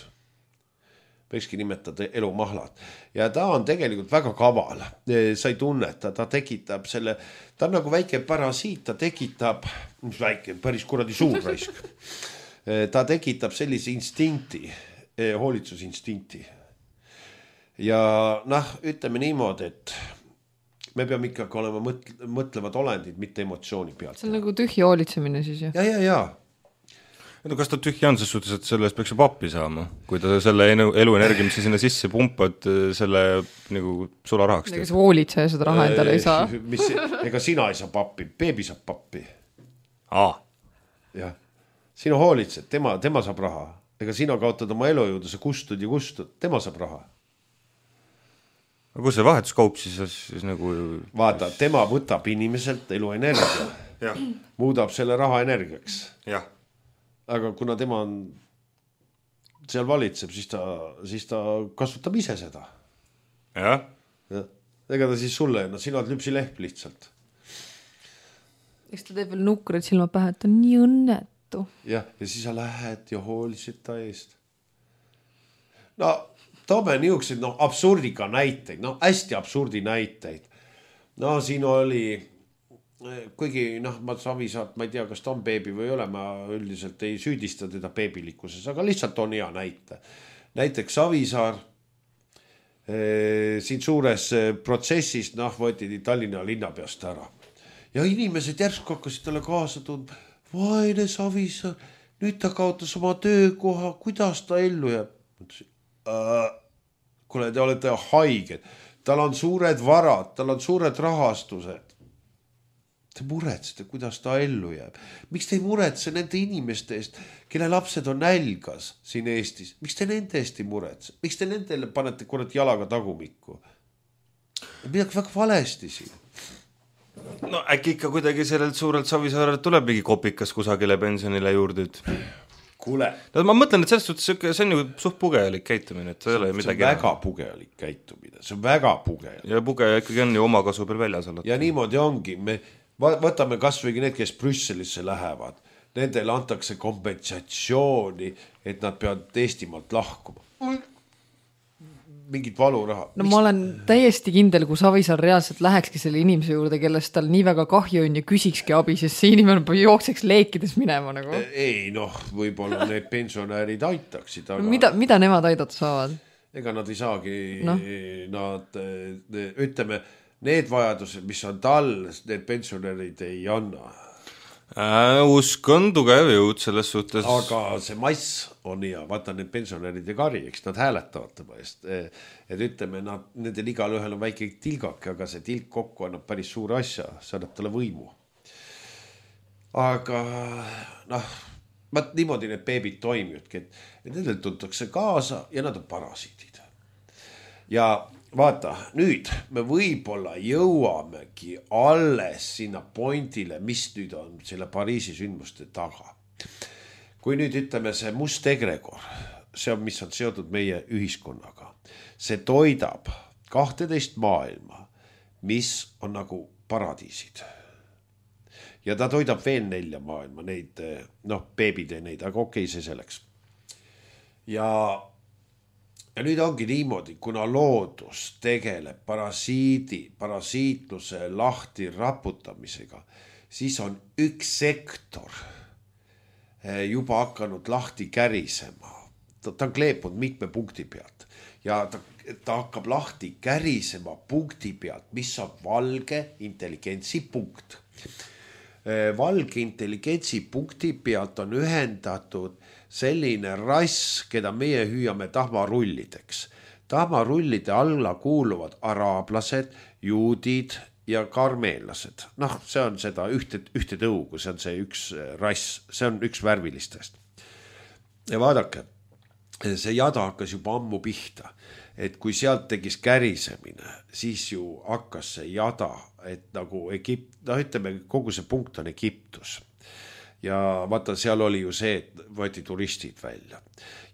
Speaker 2: Võikski nimetada elumahlad. Ja ta on tegelikult väga kaval. Sa ei tunneta, ta tekitab selle, ta on nagu väike parasiit, ta tekitab, mis väike, päris kuradi suur raisk. Ta tekitab sellise instinkti, hoolitsusinstinkti. Ja ütleme niimoodi, et me peame ikkagi olema mõtlevad olendid, mitte emotsiooni pealt.
Speaker 3: See on nagu tühja hoolitsemine siis, jah?
Speaker 2: Ja.
Speaker 1: No kas ta tühja on ses suhtes, et selle eest peaks ju pappi saama, kui ta selle eluenergia, mis sinna sisse pumpad, selle nagu sularahaks teeb?
Speaker 3: Ega see hoolitseja seda raha endale ei saa.
Speaker 2: Ega sina ei saa pappi, beebi saab pappi.
Speaker 1: Jah.
Speaker 2: Sina hoolitsed, tema saab raha. Ega sina kaotad oma elujõudu, sa kustud, tema saab raha.
Speaker 1: Aga kus see vahetuskaup siis nagu...
Speaker 2: Vaata, tema võtab inimeselt eluenergia, muudab selle raha energiaks.
Speaker 1: Jah.
Speaker 2: Aga kuna tema on seal valitseb, siis ta kasutab ise seda.
Speaker 1: Jah.
Speaker 2: Ega ta siis sulle, sina oled lüpsi leht lihtsalt.
Speaker 3: Eks ta teeb veel nukkurid silma pähe, et on nii õnnet.
Speaker 2: Ja siis sa lähed ja hoolisid ta eest. Toome niisugused absurdiga näiteid, hästi absurdi näiteid. Siin oli, kuigi ma Savisaart, ma ei tea, kas ta on beebi või ei ole, ma üldiselt ei süüdista teda beebilikkuses, aga lihtsalt on hea näite. Näiteks Savisaar siin suures protsessis võeti Tallinna linnapeast ära. Ja inimesed järsku hakkasid talle kaasa tundma. Vaine Savisaar, nüüd ta kaotas oma töökoha, kuidas ta ellu jääb? Kuule, te olete haiged, tal on suured varad, tal on suured rahastused. Te muretsete, kuidas ta ellu jääb. Miks te ei muretse nende inimeste eest, kelle lapsed on nälgas siin Eestis? Miks te nende eest ei muretse? Miks te nendele panete kurat jalaga tagumikku? Midagi väga valesti siin.
Speaker 1: No äkki ikka kuidagi sellelt suurelt Savisaarelt tuleb mingi kopikas kusagile pensionile juurde.
Speaker 2: Kuule.
Speaker 1: Ma mõtlen, et selles suhtes see on ju suht pugelik käitumine. See
Speaker 2: on väga pugelik käitumine, see on väga pugelik.
Speaker 1: Ja pugeja ikkagi on ju oma kasu peal väljas alati.
Speaker 2: Ja niimoodi ongi, me võtame kasvõi need, kes Brüsselisse lähevad, nendele antakse kompensatsiooni, et nad peavad Eestimaalt lahkuma. Mingit valuraha.
Speaker 3: Ma olen täiesti kindel, kui Savisaar reaalselt lähekski selle inimese juurde, kellest tal nii väga kahju on ja küsikski abi, sest see inimene jookseks leekides minema nagu.
Speaker 2: Ei, võib-olla need pensionäärid aitaksid. Aga...
Speaker 3: Mida nemad aidata saavad?
Speaker 2: Ega nad ei saagi, ütleme, need vajadused, mis on tal, need pensionäärid ei anna.
Speaker 1: Usk on tugev jõud selles suhtes.
Speaker 2: Aga see mass on hea, vaata need pensionäride kari, eks nad hääletavad tema eest. Et ütleme, nendel igal ühel on väike tilgak, aga see tilk kokku annab päris suure asja, see annab talle võimu. Aga vaat niimoodi need beebid toimivadki, et nendel tuntakse kaasa ja nad on parasiidid. Ja vaata, nüüd me võib-olla jõuamegi alles sinna pointile, mis nüüd on selle Pariisi sündmuste taga. Kui nüüd ütleme see must egregor, see on, mis on seotud meie ühiskonnaga, see toidab 12 maailma, mis on nagu paradiisid. Ja ta toidab veel 4 maailma, neid, beebid ja neid, aga okei, see selleks. Ja nüüd ongi niimoodi, kuna loodus tegeleb parasiitluse lahti raputamisega, siis on üks sektor juba hakanud lahti kärisema. Ta on kleepunud mitme punkti pealt ja ta hakkab lahti kärisema punkti pealt, mis on valge intelligentsi punkt. Valge intelligentsi punkti pealt on ühendatud selline rass, keda meie hüüame tahmarullideks. Tahmarullide alla kuuluvad araablased, juudid ja karmeenlased. See on seda ühte tõugu, see on see üks rass, see on üks värvilistest. Ja vaadake, see jada hakkas juba ammu pihta, et kui sealt tegis kärisemine, siis ju hakkas see jada, et nagu ütleme, kogu see punkt on Egiptus. Ja vaata, seal oli ju see, et võeti turistid välja.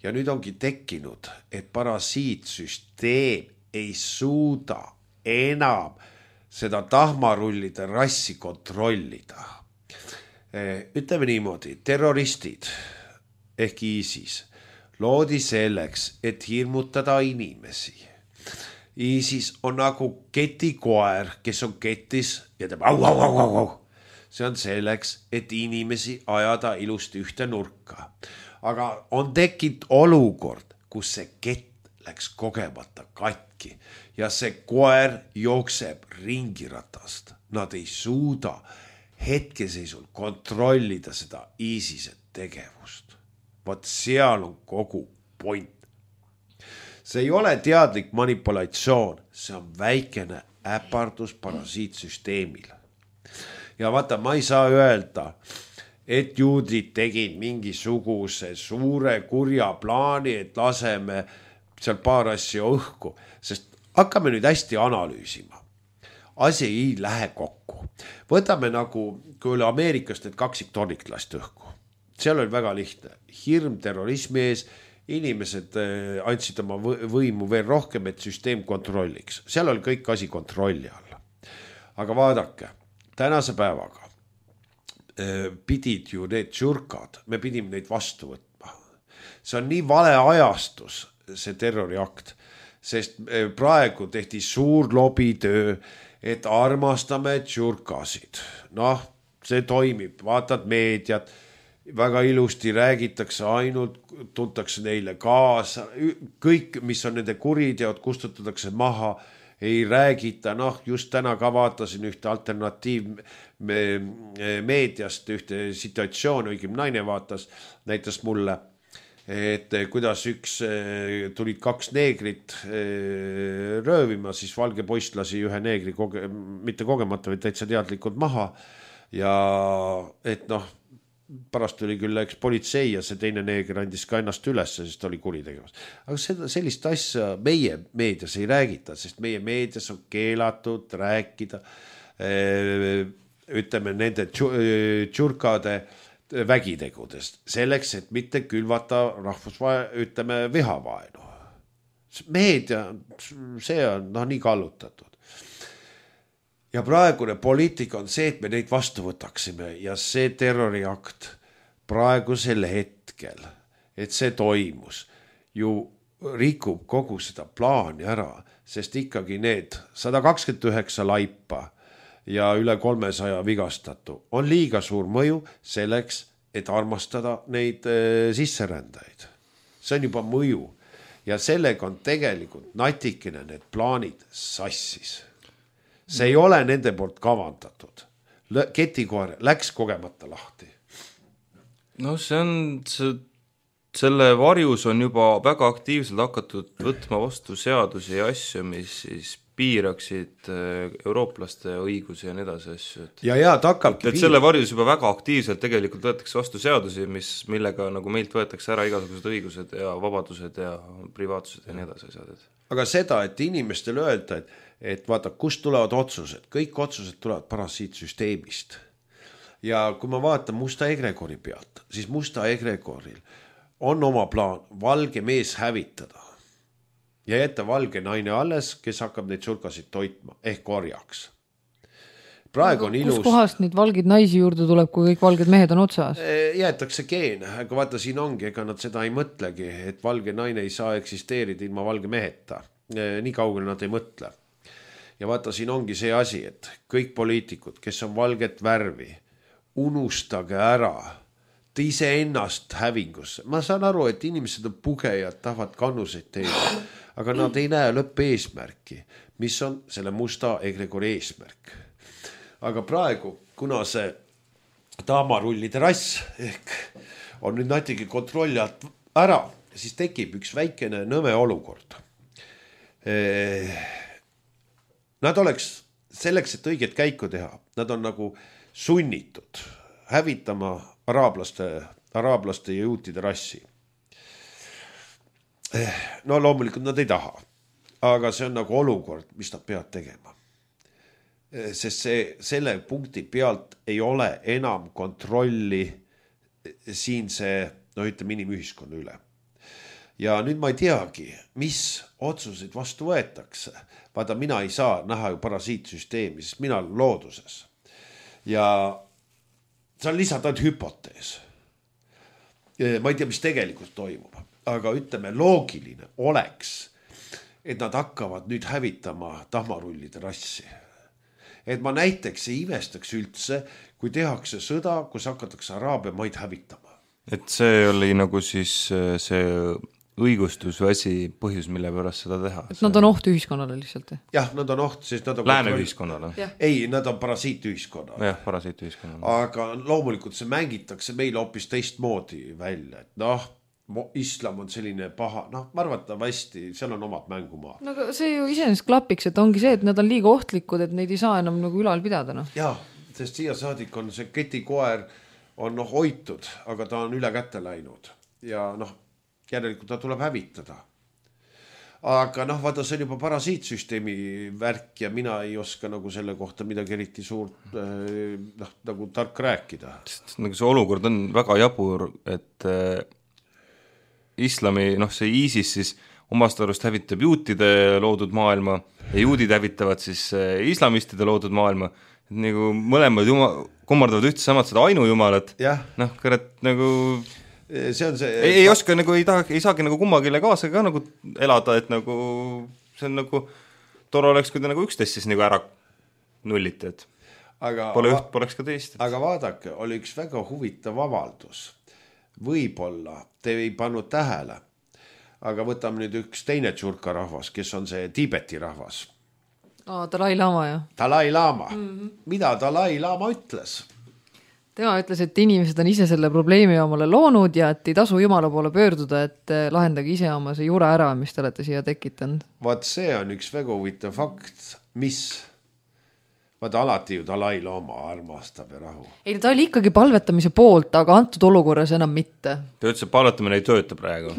Speaker 2: Ja nüüd ongi tekkinud, et parasiitsüsteem ei suuda enam seda tahmarullide rassi kontrollida. Ütleme niimoodi, terroristid ehk ISIS loodi selleks, et hirmutada inimesi. ISIS on nagu ketikoer, kes on ketis ja teeb au. See on selleks, et inimesi ajada ilusti ühte nurka. Aga on tekkinud olukord, kus see kett läks kogemata katki ja see koer jookseb ringiratast. Nad ei suuda hetkeseisul kontrollida seda ISISe tegevust. Vaat seal on kogu point. See ei ole teadlik manipulatsioon, see on väikene äpardus parasiitsüsteemile. Ja vaata, ma ei saa öelda, et juudid tegid mingisuguse suure kurja plaani, et laseme seal paar asja õhku, sest hakkame nüüd hästi analüüsima. Asi ei lähe kokku. Võtame nagu, kui oli Ameerikast, et kaksiktornik lasti õhku. Seal oli väga lihtne. Hirm terrorismi ees, inimesed andsid oma võimu veel rohkem, et süsteem kontrolliks. Seal oli kõik asi kontrolli alla. Aga vaadake, tänase päevaga pidid ju need tšurkad, me pidime neid vastu võtma. See on nii vale ajastus, see terroriakt, sest praegu tehti suur lobitöö, et armastame tšurkasid. See toimib, vaatad meediat, väga ilusti räägitakse ainult, tuntakse neile kaasa, kõik, mis on nende kuriteod, kustutatakse maha, ei räägita, just täna ka vaatasin ühte alternatiiv meediast, ühte situatsioon, õigem naine vaatas, näitas mulle, et kuidas tulid 2 neegrit röövima, siis valge poiss lasi ühe neegri mitte kogemata, vaid täitsa teadlikult maha ja et pärast tuli küll politsei ja see teine neeger andis ka ennast üles, sest oli kuritegevus. Aga sellist asja meie meedias ei räägita, sest meie meedias on keelatud rääkida, ütleme, nende tšurkade vägitegudest, selleks, et mitte külvata vihavaenu. Meedia, see on nii kallutatud. Ja praegune poliitika on see, et me neid vastu võtaksime ja see terroriakt praegusel hetkel, et see toimus, ju rikub kogu seda plaani ära, sest ikkagi need 129 laipa ja üle 300 vigastatu on liiga suur mõju selleks, et armastada neid sisserändajaid. See on juba mõju ja sellega on tegelikult natikene need plaanid sassis. See ei ole nende poolt kavandatud. Ketikoer läks kogemata lahti.
Speaker 1: Selle varjus on juba väga aktiivselt hakatud võtma vastu seadusi ja asju, mis siis piiraksid eurooplaste õigusi ja nii edasi asju,
Speaker 2: ja ta hakkabki
Speaker 1: et selle varjus juba väga aktiivselt tegelikult võetakse vastu seadusi, millega nagu meilt võetakse ära igasugused õigused ja vabadused ja privaatsused ja nii edasi asjad.
Speaker 2: Aga seda, et inimestele öelda, et vaata, kust tulevad otsused, kõik otsused tulevad parasiitsüsteemist. Ja kui ma vaatan Musta Egregori pealt, siis Musta Egregoril on oma plaan valge mees hävitada ja jätta valge naine alles, kes hakkab neid surkasid toitma ehk orjaks. Praegu on ilus.
Speaker 3: Kus kohast neid valgeid naisi juurde tuleb, kui kõik valged mehed on otsas?
Speaker 2: Jäetakse geen, aga vaata siin ongi, ega nad seda ei mõtlegi, et valge naine ei saa eksisteerida ilma valge meheta. Nii kaugele nad ei mõtle. Ja vaata siin ongi see asi, et kõik poliitikud, kes on valget värvi, unustage ära ise ennast hävingusse. Ma saan aru, et inimesed on pugejad, tahavad kannuseid teha, aga nad ei näe lõppeesmärki, mis on selle Musta Egregori eesmärk. Aga praegu, kuna see taamarullide rass ehk on nüüd natigi kontrolli alt ära, siis tekib üks väikene nõme olukord. Nad oleks selleks, et õiget käiku teha, nad on nagu sunnitud hävitama araablaste ja juutide rassi. No loomulikult nad ei taha, aga see on nagu olukord, mis nad peavad tegema. Sest selle punkti pealt ei ole enam kontrolli siinse, ütleme inimühiskonna üle. Ja nüüd ma ei teagi, mis otsuseid vastu võetakse. Vaata, mina ei saa näha ju parasiitsüsteemi, sest mina olen looduses. Ja see on lihtsalt ainult hüpotees. Ma ei tea, mis tegelikult toimub, aga ütleme, loogiline oleks, et nad hakkavad nüüd hävitama tahmarullide rassi. Et ma näiteks ei imestaks üldse, kui tehakse sõda, kus hakatakse Araabia maid hävitama.
Speaker 1: Et see oli nagu siis see õigustus või asi põhjus, mille pärast seda teha.
Speaker 3: Et nad on oht ühiskonnale lihtsalt.
Speaker 2: Jah, nad on oht, sest nad on
Speaker 1: lääne ühiskonnale.
Speaker 2: Ei, nad on parasiitühiskonnale.
Speaker 1: Jah, parasiitühiskonnale.
Speaker 2: Aga loomulikult see mängitakse meile hoopis teistmoodi välja. Et islam on selline paha, ma arvatavasti, seal on omad mängumaad.
Speaker 3: No aga see ju iseenesest klapiks, et ongi see, et nad on liiga ohtlikud, et neid ei saa enam nagu ülal pidada.
Speaker 2: Jaa, sest siia saadik on see ketikoer on hoitud, aga ta on üle kätte läinud. Ja järelikult ta tuleb hävitada. Aga vaata, see on juba parasiitsüsteemi värk ja mina ei oska nagu selle kohta midagi eriti suurt nagu tark rääkida.
Speaker 1: Nagu see olukord on väga jabur, et islami, see ISIS siis omast arust hävitab juutide loodud maailma ja juudid hävitavad siis islamistide loodud maailma. Et nagu mõlemad kummardavad ühtse samad seda ainujumalat. Kõret nagu
Speaker 2: see on see
Speaker 1: ei oska nagu ei saagi nagu kummagile kaasa ka nagu elada, et nagu see on nagu tore oleks, kui ta nagu üksteist siis nagu ära nulliti, et pole üht, poleks ka teist.
Speaker 2: Aga vaadake, oli üks väga huvitav avaldus. Võib-olla te ei pannud tähele, aga võtame nüüd üks teine tšurka rahvas, kes on see Tiibeti rahvas.
Speaker 3: Dalai Lama, jah.
Speaker 2: Dalai Lama. Mida Dalai Lama ütles?
Speaker 3: Tema ütles, et inimesed on ise selle probleemi omale loonud ja et ei tasu Jumala poole pöörduda, et lahendage ise oma see jure ära, mis te olete siia tekitanud.
Speaker 2: Vaat see on üks väga huvitav fakt, mis vaata alati ju Dalai Lama armastab ja rahu.
Speaker 3: Ei, ta oli ikkagi palvetamise poolt, aga antud olukorras enam mitte.
Speaker 1: Ta ütles, et palvetamine ei tööta praegu.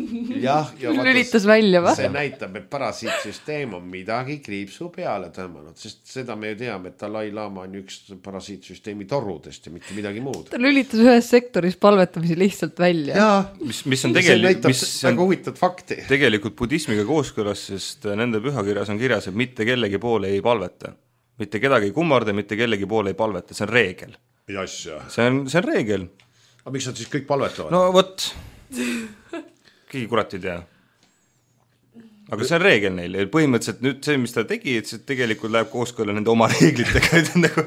Speaker 2: Ja
Speaker 3: lülitas välja või?
Speaker 2: See näitab, et parasiitsüsteem on midagi kriipsu peale tõmmanud, sest seda me ju teame, et Dalai Lama on üks parasiitsüsteemi torudest ja mitte midagi muud.
Speaker 3: Ta lülitas ühes sektoris palvetamise lihtsalt välja.
Speaker 2: Ja,
Speaker 1: mis on
Speaker 2: see näitab väga huvitatud fakti.
Speaker 1: Tegelikult budismiga kooskõlas, sest nende pühakirjas on kirjas, et mitte kellegi poole ei palveta. Mitte kedagi ei kummarda, mitte kellegi poole ei palveta, see on reegel. See on reegel.
Speaker 2: Aga miks nad siis kõik palvetavad?
Speaker 1: No vot, keegi kurat ei tea. Aga see on reegel neil. Põhimõtteliselt nüüd see, mis ta tegi, et see tegelikult läheb kooskõlla nende oma reeglitega.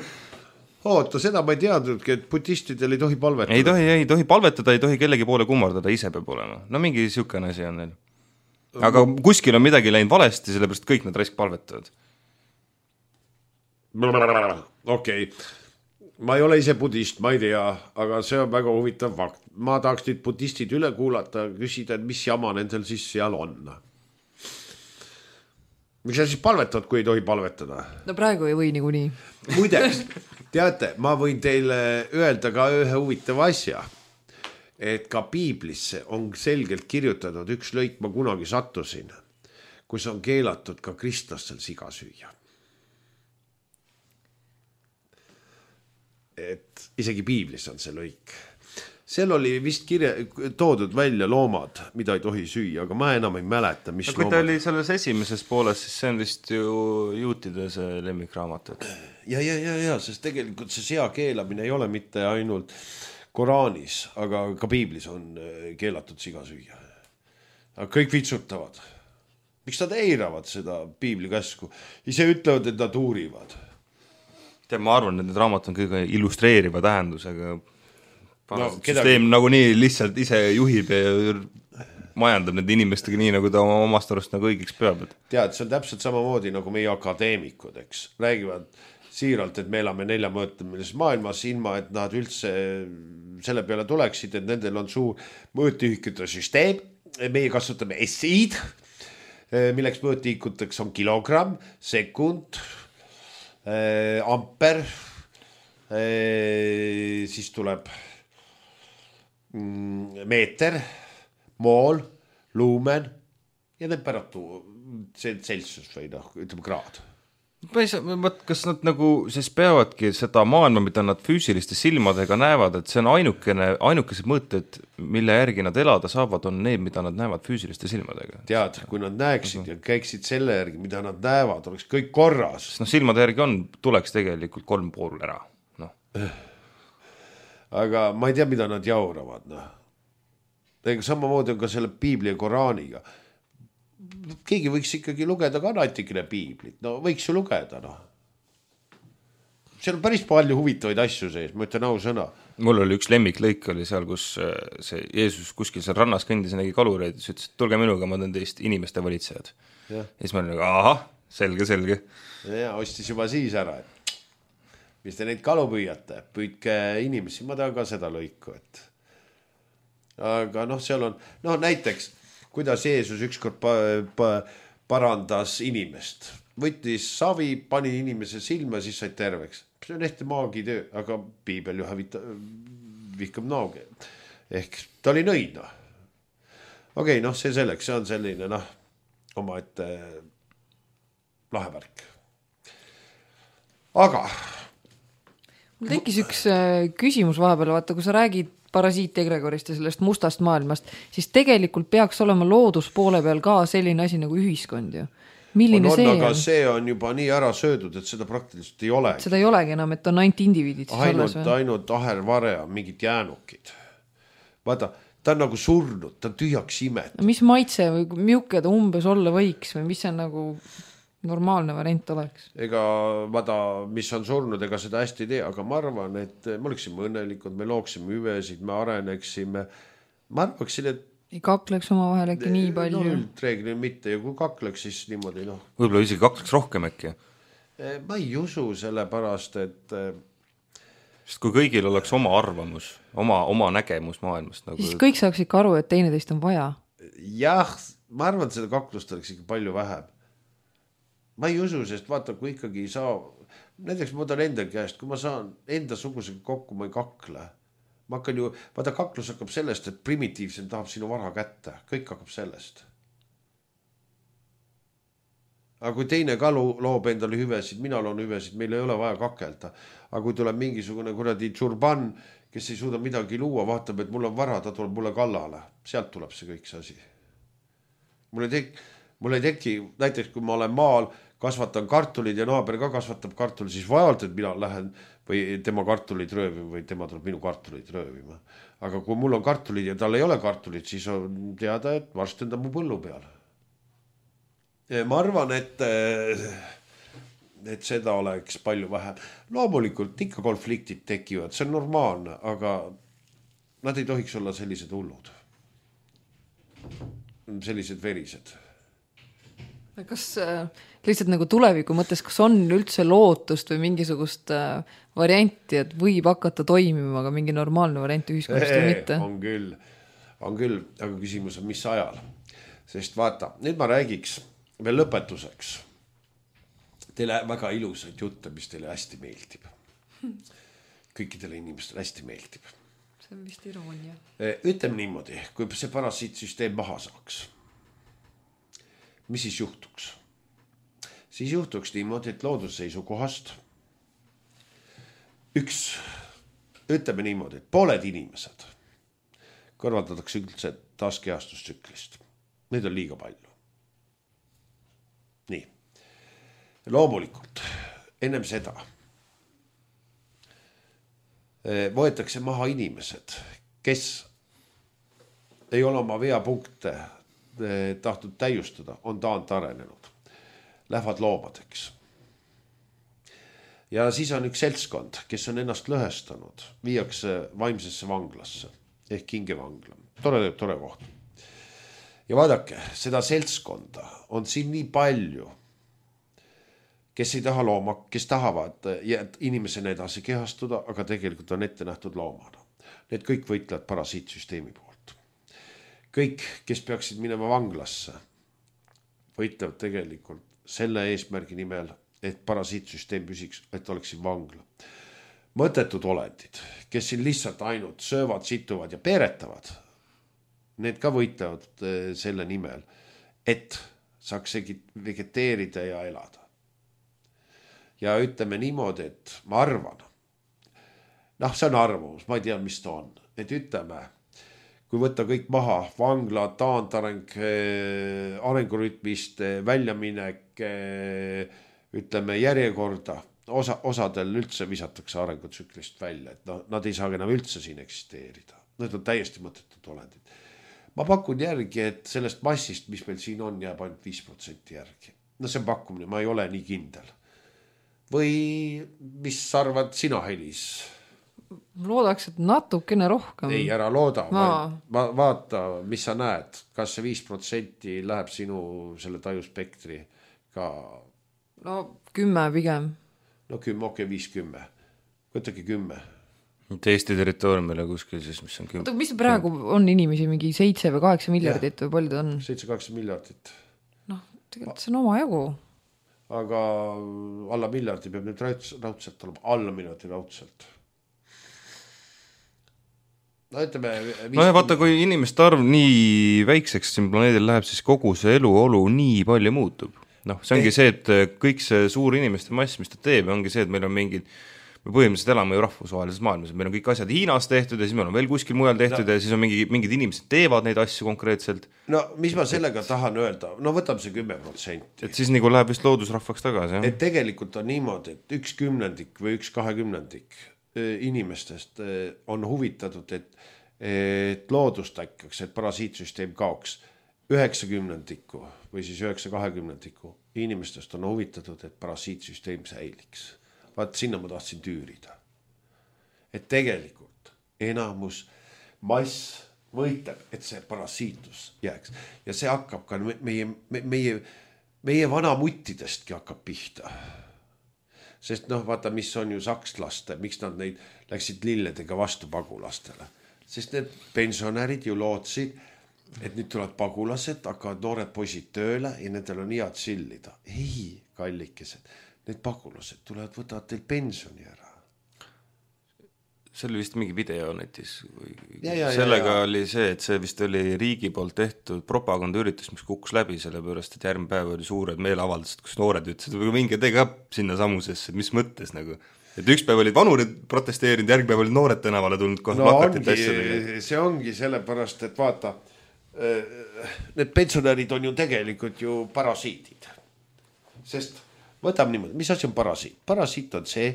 Speaker 2: Oota, seda ma ei teadnudki, et budistidel ei tohi palvetada.
Speaker 1: Ei tohi palvetada, ei tohi kellegi poole kummardada, ise peab olema. No mingi siukene asi on neil. Aga kuskil on midagi läinud valesti, sellepärast kõik nad raisk palvetavad.
Speaker 2: Okei. Ma ei ole ise budist, ma ei tea, aga see on väga huvitav fakt. Ma tahaks nüüd budistid üle kuulata, küsida, et mis jama nendel siis seal on. miks sa siis palvetad, kui ei tohi palvetada?
Speaker 3: No praegu ei või niikuinii.
Speaker 2: Muideks, teate, ma võin teile öelda ka ühe huvitava asja, et ka piiblisse on selgelt kirjutatud üks lõik, ma kunagi sattusin, kus on keelatud ka kristlastel siga süüa. Et isegi piiblis on see lõik. Seal oli vist toodud välja loomad, mida ei tohi süüa, aga ma enam ei mäleta, mis
Speaker 1: kui ta oli selles esimeses pooles, siis see on vist ju juutide see lemmikraamat.
Speaker 2: Ja, sest tegelikult see sea keelamine ei ole mitte ainult Koraanis, aga ka piiblis on keelatud siga süüa. Aga kõik vitsutavad. Miks nad eiravad seda piibli käsku? Ise ütlevad, et nad uurivad.
Speaker 1: Ma arvan, et need raamat on kõige illustreeriva tähendusega. Süsteem nagu nii lihtsalt ise juhib ja majandab need inimestega nii, nagu ta omast arust nagu õigeks peab.
Speaker 2: Tead, see on täpselt samamoodi nagu meie akadeemikud, eks. Räägivad siiralt, et me elame 4-mõõtmelises maailmas, ilma et nad üldse selle peale tuleksid, et nendel on suur mõõtühikute süsteem. Meie kasutame SI-d, milleks mõõtühikuteks on kilogramm, sekund, amper, siis tuleb meeter, mool, luumen ja temperatuur, see Celsius või ütleme kraad.
Speaker 1: Kas nad nagu siis peavadki seda maailma, mida nad füüsiliste silmadega näevad, et see on ainukesed mõõted, mille järgi nad elada saavad, on need, mida nad näevad füüsiliste silmadega.
Speaker 2: Tead, kui nad näeksid ja käiksid selle järgi, mida nad näevad, oleks kõik korras.
Speaker 1: Silmade järgi tuleks tegelikult 3 pool ära.
Speaker 2: Aga ma ei tea, mida nad jauravad. Samamoodi on ka selle piibli ja Koraaniga. Keegi võiks ikkagi lugeda ka natikene piiblit. No võiks ju lugeda, Seal on päris palju huvitavaid asju sees, ma ütlen ausõna.
Speaker 1: Mul oli üks lemmiklõik oli seal, kus see Jeesus kuskil seal rannas kõndis ja nägi kalureid, siis ütles, et tulge minuga, ma teen teist inimeste valitsejad. Ja siis ma olin nagu, ahah, selge.
Speaker 2: Ja ostis juba siis ära, et mis te neid kalu püüate, püüdke inimesi, ma tahan ka seda lõiku, et aga seal on, näiteks kuidas Jeesus ükskord parandas inimest. Võttis savi, pani inimese silma, siis said terveks. See on ehti maagitöö, aga piibel ju vihkab nooge. Ehk ta oli nõid, Okei, see selleks, see on selline, oma ette lahevärk. Aga
Speaker 3: mul tekkis üks küsimus vahepeal, vaata, kui sa räägid parasiitegregorist ja sellest mustast maailmast, siis tegelikult peaks olema looduspoole peal ka selline asi nagu ühiskond ju. Milline see on?
Speaker 2: Aga see on juba nii ära söödud, et seda praktiliselt ei ole.
Speaker 3: Seda ei olegi enam, et on ainult indiviidid.
Speaker 2: Ainult ahervare on mingid jäänukid. Vaata, ta on nagu surnud, ta on tühjaks imet.
Speaker 3: Mis maitse või miuke ta umbes olla võiks või mis see nagu normaalne variant oleks?
Speaker 2: Ega vaata, mis on surnud, ega seda hästi ei tea, aga ma arvan, et me oleksime õnnelikud, me looksime hüvesid, me areneksime. Ma arvaksin, et
Speaker 3: ei kakleks oma vahel äkki nii palju.
Speaker 2: Üldreeglil mitte ja kui kakleks, siis niimoodi
Speaker 1: Võib-olla isegi kakleks rohkem äkki.
Speaker 2: Ma ei usu selle pärast, et
Speaker 1: sest kui kõigil oleks oma arvamus, oma nägemus maailmast
Speaker 3: siis kõik saaks ikka aru, et teineteist on vaja.
Speaker 2: Jah, ma arvan, et seda kaklust oleks ikka palju vähem. Ma ei usu, sest vaata, kui ikkagi ei saa, näiteks ma võtan enda käest, kui ma saan enda sugusega kokku, ma ei kakle. Ma hakkan ju, vaata, kaklus hakkab sellest, et primitiivsem tahab sinu vara kätte. Kõik hakkab sellest. Aga kui teine ka loob endale hüvesid, mina loon hüvesid, meil ei ole vaja kakelda. Aga kui tuleb mingisugune kuradi tšurban, kes ei suuda midagi luua, vaatab, et mul on vara, ta tuleb mulle kallale. Sealt tuleb see kõik see asi. Mul ei teki, näiteks kui ma olen maal, kasvatan kartulid ja naaber ka kasvatab kartulid, siis vajalt, et mina lähen või tema kartulid röövima või tema tuleb minu kartulid röövima. Aga kui mul on kartulid ja tal ei ole kartulid, siis on teada, et varsti on ta mu põllu peal. Ma arvan, et seda oleks palju vähem. Loomulikult ikka konfliktid tekivad, see on normaalne, aga nad ei tohiks olla sellised hullud. Sellised verised.
Speaker 3: Kas lihtsalt nagu tuleviku mõttes, kas on üldse lootust või mingisugust varianti, et võib hakata toimima ka mingi normaalne variant ühiskonnast või mitte?
Speaker 2: On küll, aga küsimus on mis ajal. Sest vaata, nüüd ma räägiks veel lõpetuseks teile väga ilusaid jutte, mis teile hästi meeldib. Kõikidele inimestele hästi meeldib.
Speaker 3: See on vist iroonia.
Speaker 2: Ütleme niimoodi, kui see parasiitsüsteem maha saaks, mis siis juhtuks? Siis juhtuks niimoodi, et loodusseisukohast ütleme niimoodi, et pooled inimesed kõrvaldatakse üldse taaskeastustsüklist. Neid on liiga palju. Nii. Loomulikult, ennem seda võetakse maha inimesed, kes ei ole oma veapunkte tahtnud täiustada, on taantarenenud. Lähevad loomadeks. Ja siis on üks seltskond, kes on ennast lõhestanud, viiakse vaimsesse vanglasse ehk hingevangla. Tore koht. Ja vaadake, seda seltskonda on siin nii palju, kes ei taha looma, kes tahavad inimesena edasi kehastuda, aga tegelikult on ette nähtud loomana. Need kõik võitlevad parasiitsüsteemi poolt. Kõik, kes peaksid minema vanglasse, võitlevad tegelikult selle eesmärgi nimel, et parasiitsüsteem püsiks, et oleks siin vangla. Mõttetud olendid, kes siin lihtsalt ainult söövad, situvad ja peeretavad, need ka võitlevad selle nimel, et saaks vegeteerida ja elada. Ja ütleme niimoodi, et ma arvan, see on arvamus, ma ei tea, mis ta on, et ütleme, kui võtta kõik maha, vangla, taandareng, arengurütmist, väljaminek, ütleme järjekorda, osadel üldse visatakse arengutsüklist välja, et nad ei saa enam üldse siin eksisteerida. Need on täiesti mõttetud olendid. Ma pakun järgi, et sellest massist, mis meil siin on, jääb ainult 5% järgi. See on pakkumine, ma ei ole nii kindel. Või mis arvad sina, Helis?
Speaker 3: Loodaks, et natukene rohkem.
Speaker 2: Ei, ära looda. Vaata, mis sa näed. Kas see 5% läheb sinu selle tajuspektri ka?
Speaker 3: 10 pigem.
Speaker 2: 10, okei, 5-10. Võtake 10.
Speaker 1: Eesti territooriumile kuskil siis, mis on 10.
Speaker 3: Mis praegu on inimesi mingi 7 või 8 miljardit või palju ta on?
Speaker 2: 7-8 miljardit.
Speaker 3: Tegelikult see on oma jagu.
Speaker 2: Aga alla miljardi peab nüüd raudselt olema. Alla miljardi raudselt.
Speaker 1: Vaata, kui inimeste arv nii väikseks siin planeedil läheb, siis kogu see eluolu nii palju muutub. See ongi see, et kõik see suur inimeste mass, mis ta teeb, ongi see, et meil on mingid, me põhimõtteliselt elame ju rahvusvahelises maailmas, meil on kõik asjad Hiinas tehtud ja siis meil on veel kuskil mujal tehtud ja siis on mingid inimesed teevad neid asju konkreetselt.
Speaker 2: Mis ma sellega tahan öelda? Võtame see 10%.
Speaker 1: Et siis nagu läheb vist loodusrahvaks tagasi.
Speaker 2: Et tegelikult on niimoodi, et 1/10 või 1/20 inimestest on huvitatud, et loodust äkkaks, et parasiitsüsteem kaoks. 90% või siis 9/20 inimestest on huvitatud, et parasiitsüsteem säiliks. Vaat sinna ma tahtsin tüürida. Et tegelikult enamus mass võitleb, et see parasiitlus jääks. Ja see hakkab ka meie vanamuttidestki hakkab pihta. Sest vaata, mis on ju sakslaste, miks nad neid läksid lilledega vastu pagulastele. Sest need pensionärid ju lootsid, et nüüd tulevad pagulased, hakkavad noored poisid tööle ja nendel on head sillida. Ei, kallikesed, need pagulased tulevad, võtavad teil pensioni ära.
Speaker 1: See oli vist mingi video netis. Sellega oli see, et see vist oli riigi poolt tehtud propagandaüritus, mis kukkus läbi selle pärast, et järgmine päev oli suured meeleavaldused, kus noored ütlesid, või mingi tee ka sinna samusesse, mis mõttes nagu. Et üks päev olid vanurid protesteerinud, järgmine päev olid noored tänavale tulnud kohe
Speaker 2: see ongi sellepärast, et vaata, need pensionärid on ju tegelikult ju parasiidid. Sest võtame niimoodi, mis asi on parasiit? Parasiit on see,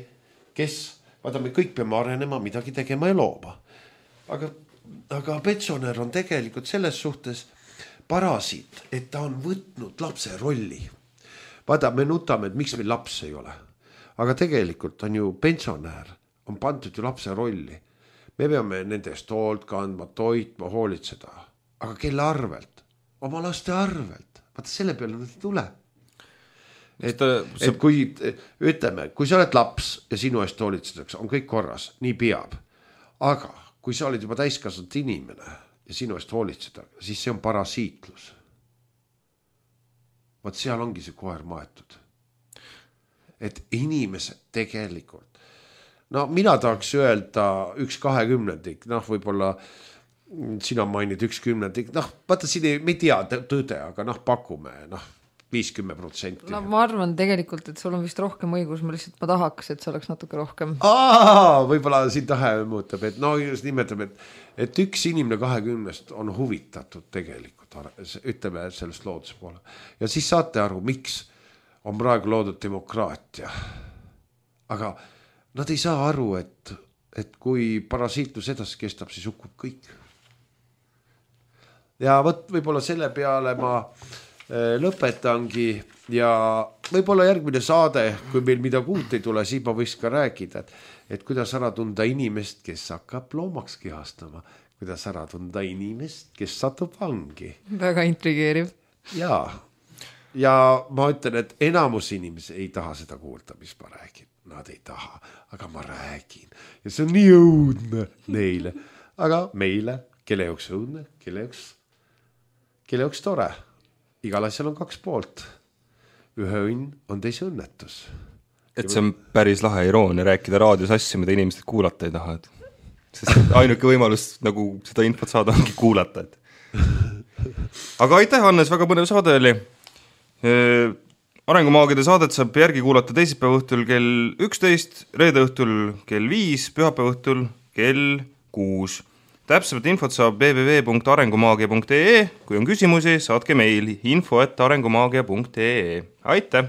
Speaker 2: kes, vaata me kõik peame arenema, midagi tegema ja looma. Aga pensionär on tegelikult selles suhtes parasiit, et ta on võtnud lapse rolli. Vaata, me nutame, et miks meil laps ei ole. Aga tegelikult on ju pensionär, on pandud ju lapse rolli. Me peame nendest hoolt kandma, toitma, hoolitseda. Aga kelle arvelt? Oma laste arvelt. Vaata, selle peale ei tule. Et kui, ütleme, kui sa oled laps ja sinu eest hoolitsetakse, on kõik korras, nii peab. Aga kui sa oled juba täiskasvanud inimene ja sinu eest hoolitseda, siis see on parasiitlus. Vaat seal ongi see koer maetud. et inimesed tegelikult, no mina tahaks öelda 1/20, noh, võib-olla sina mainid 1/10, noh, vaata siin me ei tea tõde, aga noh, pakume, noh, 50%.
Speaker 3: No ma arvan tegelikult, et sul on vist rohkem õigus, ma tahaks, et see oleks natuke rohkem.
Speaker 2: Võib-olla siin tahe muutab, et no just nimetame, et üks inimene 20 on huvitatud tegelikult, ütleme sellest looduse poole. Ja siis saate aru, miks on praegu loodud demokraatia. Aga nad ei saa aru, et kui parasiitlus edasi kestab, siis hukkub kõik. Ja võib-olla selle peale ma lõpetangi ja võib-olla järgmine saade, kui meil midagi uut ei tule, siis ma võiks ka rääkida, et kuidas ära tunda inimest, kes hakkab loomaks kihastama, kuidas ära tunda inimest, kes satub vangi.
Speaker 3: Väga intrigeeriv.
Speaker 2: Ja ma ütlen, et enamus inimesi ei taha seda kuulda, mis ma räägin. Nad ei taha, aga ma räägin. Ja see on nii õudne neile. Aga meile, kelle jaoks õudne, kelle jaoks tore. Igal asjal on 2 poolt. Ühe õnn on teise õnnetus.
Speaker 1: Et see on päris lahe iroonia rääkida raadios asju, mida inimesed kuulata ei taha. Sest ainuke võimalus nagu seda infot saada ongi kuulata. Aga aitäh, Hannes, väga põnev saade oli. Arengumaagide saadet saab järgi kuulata teisipäeva õhtul kell 11, reede õhtul kell 5, pühapäeva õhtul kell 6. Täpsemat infot saab www.arengumaagia.ee. Kui on küsimusi, saatke meil info@arengumaagia.ee. Aitäh!